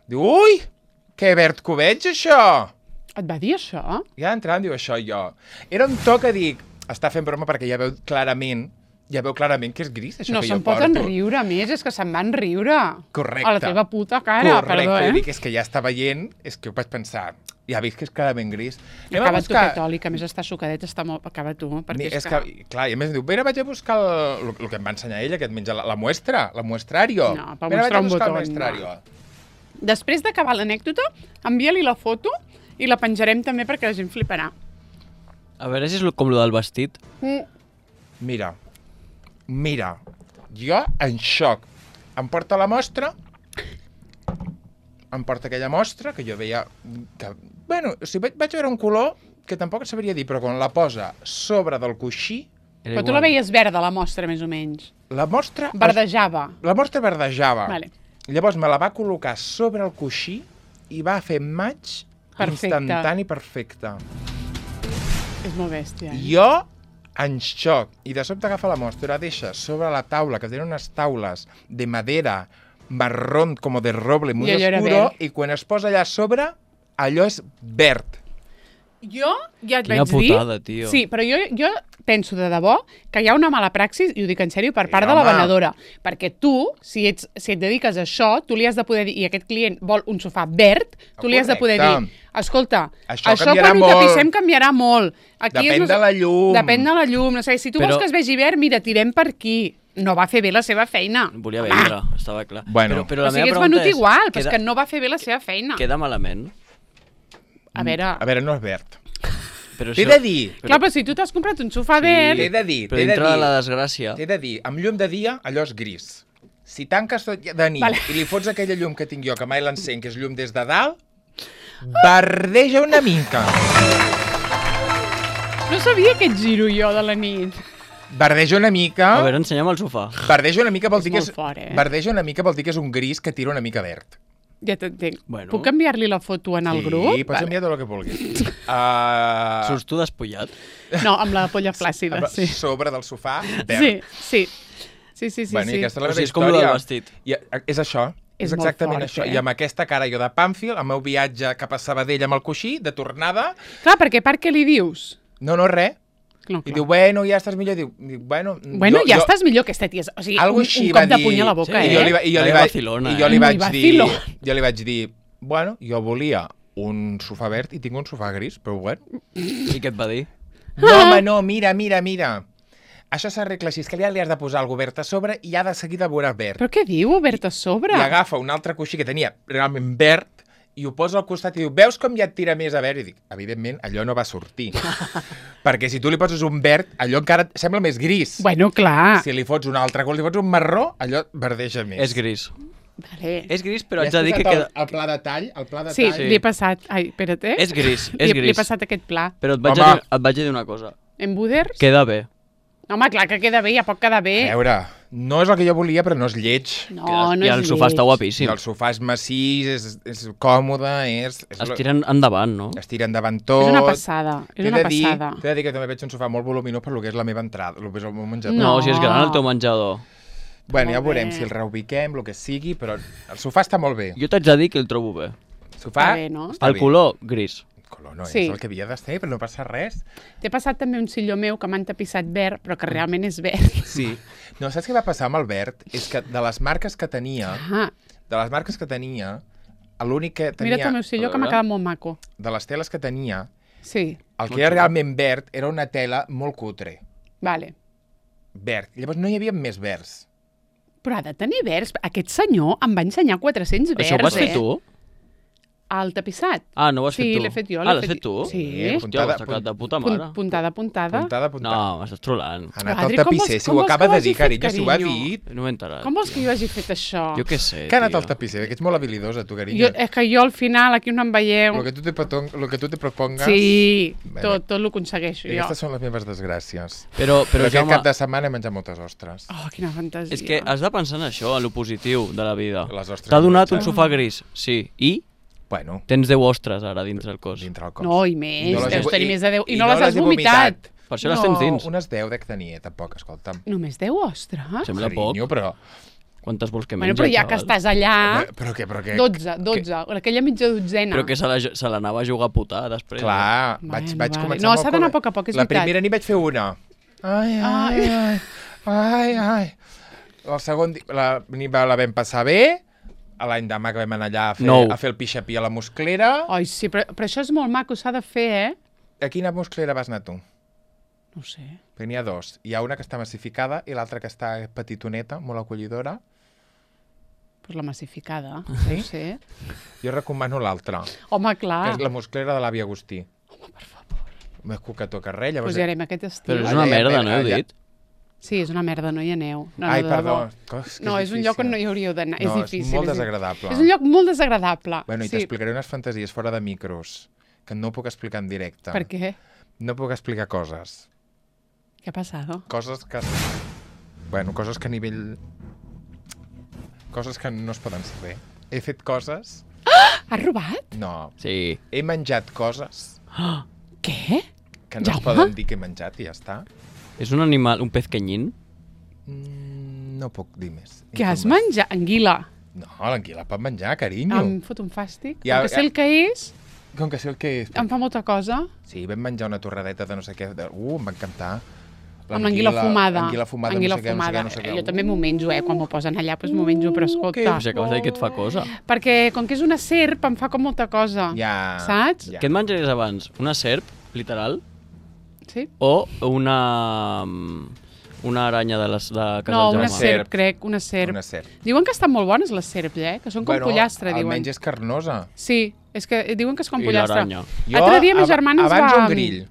Diu, ui, que verd que ho veig, això! Et va dir això? Ja entrant, diu això jo. Era un to que dic, està fent broma perquè ja veu clarament, ja veu clarament que és gris, això No que jo se'n porto. poden riure més, és que se'n van riure. Correcte. A la teva puta cara, Correcte, perdó, i eh? dic, és que ja està veient, és que ho vaig pensar, ja veig que és clarament gris. Anem a Acaba tu buscar... aquest oli, que a més està sucadet, està molt... Acaba tu, perquè Ni- és, és que, clar, i a més diu, mira, vaig a buscar el, el, el que em va ensenyar ella, que et menja la, la muestra, la muestrario. No, per mira, mostrar vaig a un buscar botó, el muestrario. no. Després d'acabar l'anècdota, envia-li la foto i la penjarem també perquè la gent fliparà. A veure si és lo- com lo del vestit. Mm. Mira, mira, jo en xoc. Em porta la mostra, em porta aquella mostra, que jo veia... Que, bueno, o sigui, vaig, vaig veure un color que tampoc et sabria dir, però quan la posa sobre del coixí, Era Però tu igual. la veies verda, la mostra, més o menys. la mostra... Verdejava. La mostra verdejava. Vale. Llavors me la va col·locar sobre el coixí i va fer maig Perfecte. instantani perfecte. És molt bèstia. Eh? Jo en xoc. I de sobte agafa la mostra, la deixa sobre la taula, que tenen unes taules de madera marrón, com de roble, muy I allò era oscuro, verd. i quan es posa allà a sobre, allò és verd. Jo ja et Quina vaig dir... putada, tio. Sí, però jo, jo penso de debò que hi ha una mala praxis, i ho dic en sèrio, per Sí, part de la home. venedora. Perquè tu, si, ets, si et dediques a això, tu li has de poder dir, i aquest client vol un sofà verd, tu li has de poder Correcte. dir, escolta, Això això, canviarà quan ho molt. tapissem canviarà molt. Aquí Depèn és de la llum. Depèn de la llum. No sé, si tu Però- vols que es vegi verd, mira, tirem per aquí. No va fer bé la seva feina. Volia vendre, estava clar. Bueno. però, però O la sigui, meva ets pregunta venut és, igual, però és queda, que no va fer bé la seva feina. queda malament? A veure... A veure, no és verd. Però T'he això- de dir, Clar, però si tu t'has comprat un sofà verd... t'he de dir, Però t'he de dintre de dir, la desgràcia... t'he de dir, amb llum de dia, allò és gris. Si tanques tot de nit Vale. i li fots aquella llum que tinc jo, que mai l'encenc, que és llum des de dalt, verdeja una mica. No sabia aquest giro jo de la nit. Verdeja una mica... A veure, ensenya'm el sofà. Verdeja una mica vol És dir que molt és... fort, eh? Verdeja una mica vol dir que és un gris que tira una mica verd. Ja t'entenc. Bueno. Puc enviar-li la foto en el sí, grup? pots enviar tot el que vulguis. Uh, Surts tu despullat? No, amb la polla flàcida, amb- sí. Sobre del sofà, verd. Sí, sí. Sí, sí, sí. bueno, sí. i aquesta és la O meva sigui, és com lo història. del vestit. I, eh, és això. És És, molt exactament fort, això. eh? I amb aquesta cara jo de Pàmfil, el meu viatge cap a Sabadell amb el coixí, de tornada, Clar, perquè per què li dius? no, no, res. No, I clar. diu, bueno, ja estàs millor. Diu, diu bueno... Bueno, jo, ja jo... estàs millor que aquesta tia. O sigui, Algo un, així un va cop de dir... puny a la boca, Sí, eh? I jo li, va, i jo li, Vaya vaig, vacilona, i jo li eh? vaig Muy dir... vacilón. Jo li vaig dir, bueno, jo volia un sofà verd i tinc un sofà gris, però bueno. I què et va dir? No, home, no, mira, mira, mira. Això s'arregla així, és que ja li has de posar algo verd a sobre i ja de seguida veuràs verd. Però què diu, obert a sobre? I agafa un altre coixí que tenia realment verd i ho posa al costat i diu, veus com ja et tira més a verd? I dic, evidentment, allò no va sortir. Perquè si tu li poses un verd, allò encara et sembla més gris. Bueno, clar. Si li fots un altre, quan li fots un marró, allò verdeja més. És gris. Vale. És gris, però Li haig has de dir que posat queda... el, el pla de tall, el pla de Sí, tall. li he passat... Ai, espera't, eh? És gris, és Li, he- li he gris. passat aquest pla. Però et vaig, Home. a dir, et vaig a dir una cosa. En Buders? Queda bé. Home, clar que queda bé, ja pot quedar bé. A veure, no és el que jo volia, però no és lleig. No, Queda- no I és el sofà lleig. està I guapíssim. el sofà és massís, és, és còmode, és... és Es tiren endavant, no? Es tira endavant tot. És una passada, és T'he una de dir, passada. T'he de dir que també veig un sofà molt voluminós per lo que és la meva entrada, el que és el meu menjador. No, No. si és gran el teu menjador. Bueno, ja Molt veurem bé. si el reubiquem, el que sigui, però el sofà està molt bé. Jo t'haig de dir que el trobo bé. El sofà Està bé, no? està El bé. color, gris. El color no Sí. és el que havia de ser, però no passa res. T'he passat també un silló meu que m'han tapissat verd, però que realment és verd. Sí. No, saps què va passar amb el verd? És que de les marques que tenia, Ah, de les marques que tenia, l'únic que tenia... mira't el meu silló, A que m'ha veure. quedat molt maco. De les teles que tenia, Sí, el que era realment verd era una tela molt cutre. vale. Verd. Llavors no hi havia més verds. Però ha de tenir verds. Aquest senyor em va ensenyar quatre-cents verds, Això ho vas fer eh? tu? El tapissat. Ah, no ho has Sí, fet tu? l'he fet jo, Ah, l'he l'has fet fet tu? Sí. Sí, Hòstia, ho has sacat de puta Punt, mare. puntada, puntada. Puntada, puntada. No, m'estàs trolant. Ha anat Però, al Adri, com tapisser, vols- si com ho vols acaba que ho de hagi dir, fet, carinyo, si ho ha carinyo? dit. No m'he enterat. Com vols que jo hagi fet això? Jo què sé, Que ha anat tio. al tapisser, que ets molt habilidosa, tu, carinyo. Jo, és que jo al final, aquí no em veieu... Lo que tu te, proton- lo que tu te propongas... Sí, Bueno. tot, tot l'aconsegueixo I jo. aquestes són les meves desgràcies. Però, Però, però aquest Jaume, cap de setmana he menjat moltes ostres. Oh, quina fantasia. és que has de pensar en això, en lo positiu de la vida. Les ostres T'ha donat que un sofà gris, sí. I Bueno, tens deu ostres ara dins el cos. dintre el cos. No, i més, I no les he deus vo- tenir i- més de deu. I, i no, no les has les he vomitat. vomitat. Per això les no, tens dins. unes deu dec tenir, tampoc, escolta'm. Només deu ostres? Sembla poc. Carinyo, però... Quantes vols que Bueno, menja, però ja que xaval? estàs allà... Però què, però què? dotze, dotze. Aquella mitja dotzena. Però que se la- se l'anava a jugar a putar després. Clar, Bueno, vaig, vaig vale. començar No, molt s'ha d'anar a com- poc a poc, és La veritat. primera nit vaig fer una. Ai, ai, ai, ai, ai. El segon dia la nit la vam passar bé, a l'any demà que vam anar allà a fer, Nou. a fer el pixapí a la musclera. Ai, sí, però, però això és molt maco, s'ha de fer, eh? A quina musclera vas anar tu? No ho sé. Perquè n'hi ha dos. Hi ha una que està massificada i l'altra que està petitoneta, molt acollidora. Pues la massificada, Sí? no ho sé. Jo recomano l'altra, Home, que clar. és la musclera de l'avi Agustí. Home, per favor. Més cucató que res, llavors... Pues hi anem aquest estiu. Però és Allà una hi ha merda, mer- no heu allà- dit? Sí, és una merda, no hi aneu. No, Ai, no, de perdó. debò. Cos, que No, és un lloc on no hi hauríeu d'anar. No, és difícil. és molt és- desagradable. És un lloc molt desagradable. Bueno, i sí. t'explicaré unes fantasies fora de micros, que no puc explicar en directe. Per què? No puc explicar coses. Què ha passat? Coses que... Bueno, coses que a nivell... Coses que no es poden saber. He fet coses... Has robat? No. Sí. He menjat coses Què? que no Jaume? es poden dir que he menjat i ja està. És un animal, un pez canyín? Mm, no puc dir més. Què has Informes. menjat? Anguila. No, l'anguila pot menjar, carinyo. Em fot un fàstic. Ja- Ja, que sé ja- el que és... Com que sé el que és. Em fa molta cosa. Sí, vam menjar una torradeta de no sé què. De... Uh, em va encantar. Amb l'anguila fumada. L'anguila fumada, Anguila no sé què, fumada. no sé què, no sé què. Jo també m'ho menjo, eh? Quan m'ho posen allà, doncs m'ho menjo, però escolta. que Si acabes de dir que et fa cosa. Perquè com que és una serp, em fa com molta cosa. Ja. Saps? Ja. Què et menjaries abans? Una serp, literal? Sí? O una... una aranya de, les, de casa No, del una Jaume? serp, crec, una serp. Una serp. Diuen que estan molt bones les serps, eh? Que són com Bueno, pollastre, diuen. almenys és carnosa. Sí, és que diuen que és com I pollastre. l'aranya. L'altre dia ma ab- germana ens abans va... un grill.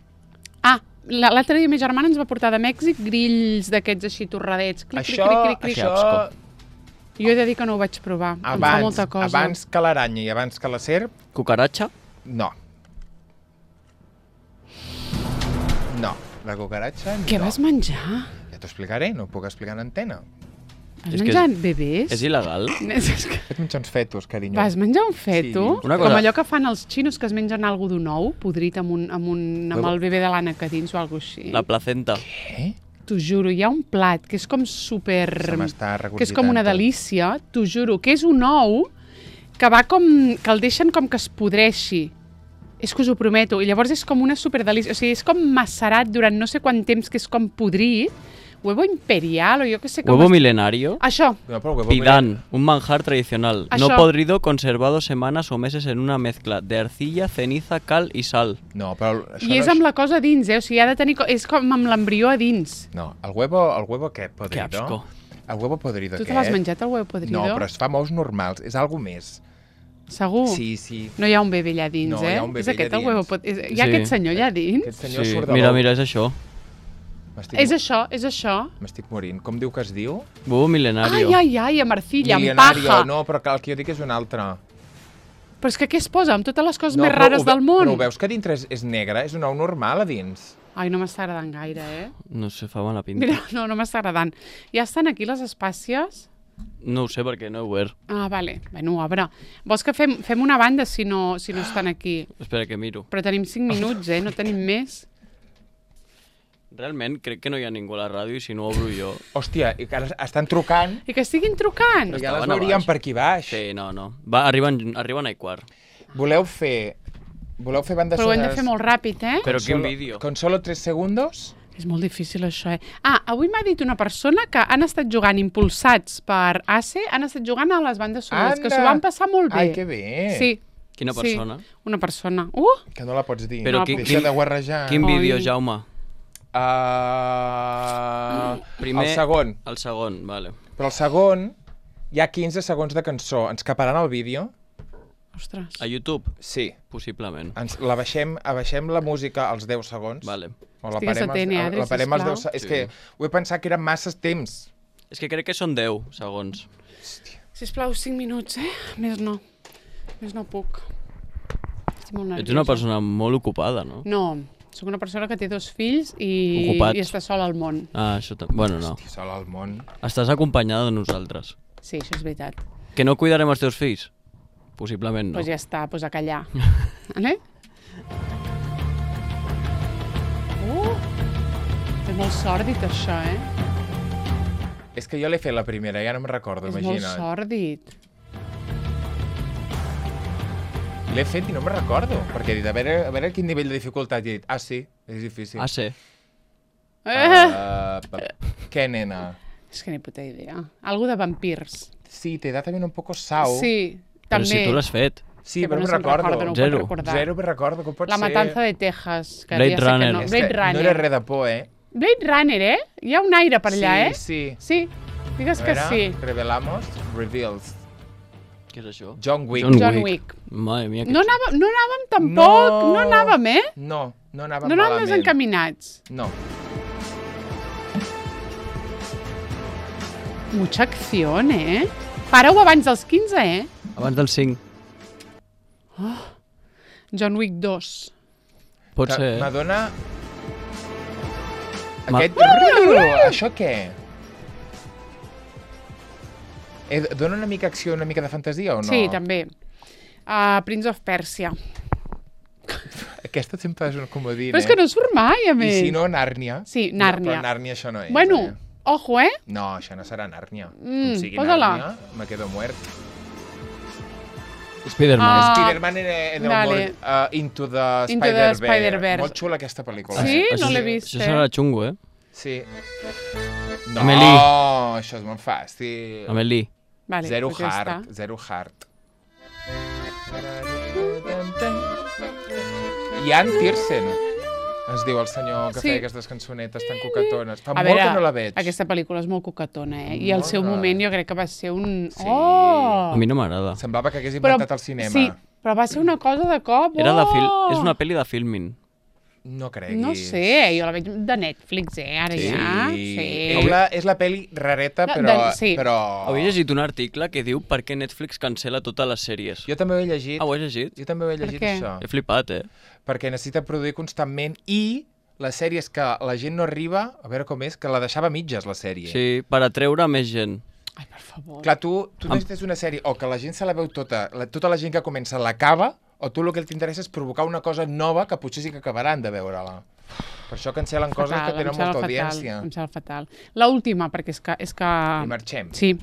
Ah, la- l'altre dia ma germana ens va portar de Mèxic grills d'aquests així torradets. Clic, Això, clic, clic, clic, clic. això, Jo he de dir que no ho vaig provar. em fa abans, molta cosa. abans que l'aranya i abans que la serp, Cucaratxa? no. No, la cucaratxa Què no. vas menjar? Ja t'ho explicaré, no ho puc explicar en antena. Vas És que menjar és- bebès? És il·legal? És que... Vaig menjar uns fetos, carinyo. Vas menjar un feto? Sí. Una Com cosa- allò que fan els xinos que es mengen algo d'un ou, podrit amb, un, amb, un, amb Huevo. el bebè de l'ànec a dins o alguna així. La placenta. Què? T'ho juro, hi ha un plat que és com super... Se m'està que és com una regurgitant tot. delícia, t'ho juro, que és un ou que va com... que el deixen com que es podreixi. És que us ho prometo. I llavors és com una superdelícia. O sigui, és com macerat durant no sé quant temps, que és com podrit. Huevo imperial, o jo que sé com... Huevo es- milenario. Això, No, però huevo Pidán, un manjar tradicional. No Això. podrido, conservado semanas o meses en una mezcla de arcilla, ceniza, cal y sal. No, però això i és no amb la cosa a dins, eh? O sigui, ha de tenir... co- És com amb l'embrió a dins. No, el huevo, el huevo què? Podrido? Que asco. El huevo podrido Tu què? te l'has menjat, el huevo podrido? No, però es fa amb ous normals, és algo més. Segur? Sí, sí. No hi ha un bebè allà dins, No, eh? hi ha un bebè és aquest allà el huevo dins. pot... És... Hi ha Sí. aquest senyor allà dins? Aquest senyor Sí, surt de mira, l'ou. mira, és això. M'estic És això, és això. M'estic morint. Com diu que es diu? Huevo milenario. Ai, ai, ai, amb arcilla, amb Milionario. paja. No, però que el que jo dic és un altre. Però és que què es posa? Amb totes les coses no, més però rares ho ve- del món? Però ho veus que dintre és, és negre? És un ou normal a dins. Ai, no m'està agradant gaire, eh? No sé, fa mala pinta. Mira, no, no m'està agradant. Ja estan aquí les espàcies? No ho sé perquè no he obert. Ah, vale. Bueno, obre. Vols que fem, fem una banda si no, si no estan aquí? Espera que miro. Però tenim cinc minuts, eh? No tenim més. Realment crec que no hi ha ningú a la ràdio i si no obro jo... Hòstia, i que ara estan trucant, I que estiguin trucant. però ja les Estaven a veuríem baix. per aquí baix. Sí, no, no. Va, arriben, arriben a i quart. Voleu fer... Voleu fer bandes Però ho hem de sonores fer molt ràpid, eh? Però con quin solo- vídeo? Con solo tres segundos? És molt difícil, això, eh? Ah, avui m'ha dit una persona que han estat jugant impulsats per A C E, han estat jugant a les bandes sonores, que Anda! s'ho van passar molt bé. Ai, que bé. Sí. Quina sí, persona? una persona. Uh! Que no la pots dir. Però No, qui, Deixa quin, de guarrejar. quin Ai. vídeo, Jaume? Uh... Primer- El segon. El segon, vale. Però el segon hi ha quinze segons de cançó. Ens caparan el vídeo? Ostres. A YouTube? Sí. Possiblement. Ens la baixem, abaixem la música als deu segons. Vale. O la Estigues parem, als- atent, eh, Adri, la parem als sisplau. deu segons. És Sí. que ho he pensat que eren massa temps. És que crec que són deu segons. Sisplau, cinc minuts, eh? Més no. Més no puc. Estic molt nerviosa. Ets una persona molt ocupada, no? No, sóc una persona que té dos fills i, Ocupats. i està sola al món. Ah, això... ta- Bueno, no. Hosti, sol al món. Estàs acompanyada de nosaltres. Sí, això és veritat. Que no cuidarem els teus fills? Possiblement Doncs no. pues ja està, pues a callar. vale? Uh! És molt sòrdid, això, eh? És que jo l'he fet la primera, ja no me'n recordo, és molt imagina't. sòrdid. L'he fet i no me'n recordo, perquè he dit, a veure, a veure quin nivell de dificultat. I he dit, ah, sí, és difícil. Ah, sí. Eh! Uh, què, nena? És que ni puta idea. Algo de vampirs. Sí, te da también un poco sau. Sí, Però també. si tu l'has fet. Sí, Que però no no me'n se'n recorda, recordo. no ho pot Zero. recordar. Zero me'n recordo, com pot La ser? matanza de Texas. Que Blade ja sé que Runner. no. És Blade que Runner. no era res de por, eh? Blade Runner, eh? Hi ha un aire per allà, sí, eh? Sí, Sí, digues A que veure, sí. Revelamos, reveals. Què és això? John Wick. John John Wick. Wick. Madre mia, que No xulo. anàvem, no anàvem tampoc, no, No. anàvem, eh? No, no anàvem No anàvem malament. desencaminats. No. Mucha acció, eh? Para-ho abans dels quinze, eh? Abans del cinc. John Wick dos. Pot Que ser. eh? M'adona... Ma- Aquest... Això què? Eh, dona una mica acció, una mica de fantasia o no? Sí, també. Uh, Prince of Persia. Aquesta sempre és un comodín, Però és que no surt mai, a I més. si no, Nàrnia. Sí, No, Nàrnia. però Nàrnia això no és. Bueno, Eh? ojo, eh? No, això no serà Nàrnia. Mm, Com sigui posa-la. Nàrnia, me quedo muert. Spider-Man. Ah, Spider-Man en, en el vale. món uh, Into the Into the Spider-Verse. Spider-Verse. Molt xula aquesta pel·lícula. Sí? Eh? No l'he sí- vist, Això eh? serà xungo, eh? Sí. No, Amélie. això és molt fàcil. Amélie. Vale, Zero doncs ja heart, està. zero heart. Ian Tiersen es diu el senyor que Sí. feia aquestes cançonetes tan coquetones. Fa A molt veure, que no la veig. aquesta pel·lícula és molt coquetona, eh? I al Molt seu rara. moment jo crec que va ser un... Sí. Oh! A mi no m'agrada. Semblava que hagués Però- inventat el cinema. Sí, però va ser una cosa de cop. Era de fil... Oh! És una pel·li de filming. No creguis. No sé, jo la veig de Netflix, eh? Ara Sí. ja. És Sí. la, és la pel·li rareta, De- però... de- sí. però... Havia llegit un article que diu per què Netflix cancela totes les sèries. Jo també ho he llegit. Ah, ho has llegit? Jo també ho he Per llegit, què? això. He flipat, eh? Perquè necessita produir constantment i les sèries que la gent no arriba, a veure com és, que la deixava a mitges, la sèrie. Sí, per atreure més gent. Ai, per favor. Clar, tu, tu necessites una sèrie o que la gent se la veu tota, la, tota la gent que comença l'acaba, o tu el que t'interessa és provocar una cosa nova que potser sí que acabaran de veure-la. Per això cancel·len coses Fatal, que tenen em sembla molta fatal, audiència. Em sembla fatal. L'última, perquè és que... És que... I marxem. Sí.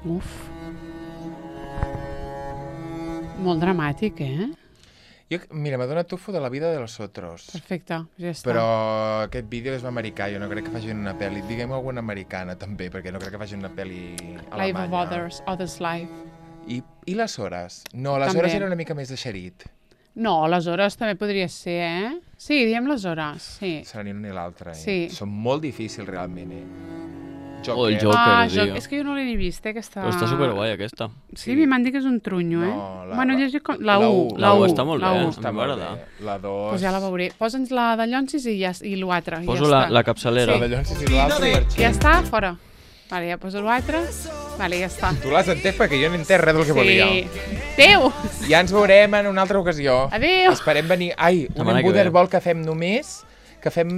Uf. Molt dramàtic, eh? Jo, mira, m'ha donat tufo de la vida de los otros. Perfecte, ja està. Però aquest vídeo és americà, jo no crec que facin una pel·li. Diguem alguna americana, també, perquè no crec que facin una pel·li alemanya. Life of Others, Others Life. I, I les hores? No, les També. hores era una mica més de xerit. No, les hores també podria ser, eh? Sí, diem les hores, sí. Serà ni una ni l'altra, eh? Sí. Són molt difícils, realment, eh? O el Joker. Joker, ah, tio. jo, és que jo no l'he ni vist, eh, aquesta... Però està superguai, aquesta. Sí, sí. m'han dit que és un trunyo, eh? No, la- bueno, llegir com... La, la u, u. la La u u. està molt la bé, u. eh? Està A mi molt m'agrada. bé. La dos... Pues ja la veuré. Posa'ns la de Llonsis i, ja, i l'altre. Poso ja la, està. la capçalera. La de Llonsis i l'altre i marxem. Ja està, fora. Vale, ja poso l'altre. Vale, ja està. Tu l'has entès perquè jo no he entès res del que volia. Adéu! Ja ens veurem en una altra ocasió. Adéu! Esperem venir... Ai, un Setmana que ve. embuderbol que fem només, que fem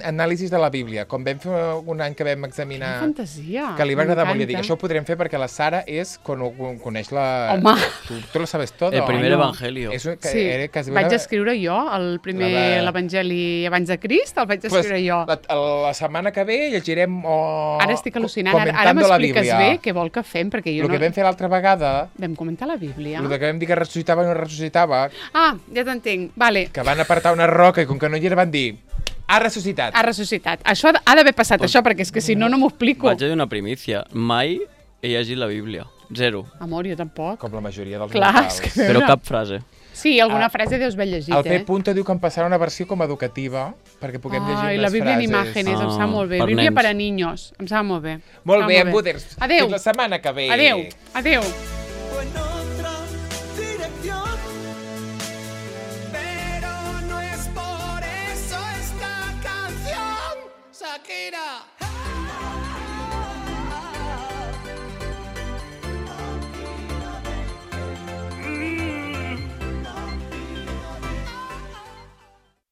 anàlisis de la Bíblia, com vam fer un any que vam examinar... Quina fantasia. Que li va agradar molt. Jo dic, m'encanta. això ho podrem fer perquè la Sara és, con, con, coneix la... Home. Tu, tu lo sabes todo. El primer no. evangelio. És, que, Sí, era, quasi vaig una- escriure jo el primer, La de- l'Evangeli abans de Crist, el vaig escriure jo. La, la setmana que ve llegirem... O, Ara estic al·lucinant. Ara, ara comentando la m'expliques Bíblia. bé què vol que fem, perquè jo El no... que vam fer l'altra vegada, Vam comentar la Bíblia. el que vam dir que ressuscitava i no ressuscitava, Ah, ja t'entenc. Vale. que van apartar una roca i com que no hi era van dir ha ressuscitat. Ha ressuscitat. Això ha d- ha d'haver passat, Pues- això, perquè és que si no, no m'ho explico. Vaig a dir una primícia. Mai he llegit la Bíblia. Zero. Amor, jo tampoc. Com la majoria dels Clar, mortals. és que- Però Veure. cap frase. Sí, alguna Ah, frase deus haver llegit, El eh? P. Punto diu que em passarà una versió com a educativa perquè puguem llegir Ai, unes la Bíblia en frases. imágenes, em Ah, sap molt bé. per Bíblia nens. per a niños, em sap molt bé. Molt Em bé, sap Embuders. Adéu. Fins la setmana que ve. Adéu, adéu. O en otra dirección. Pero no es por eso esta canción, Shakira.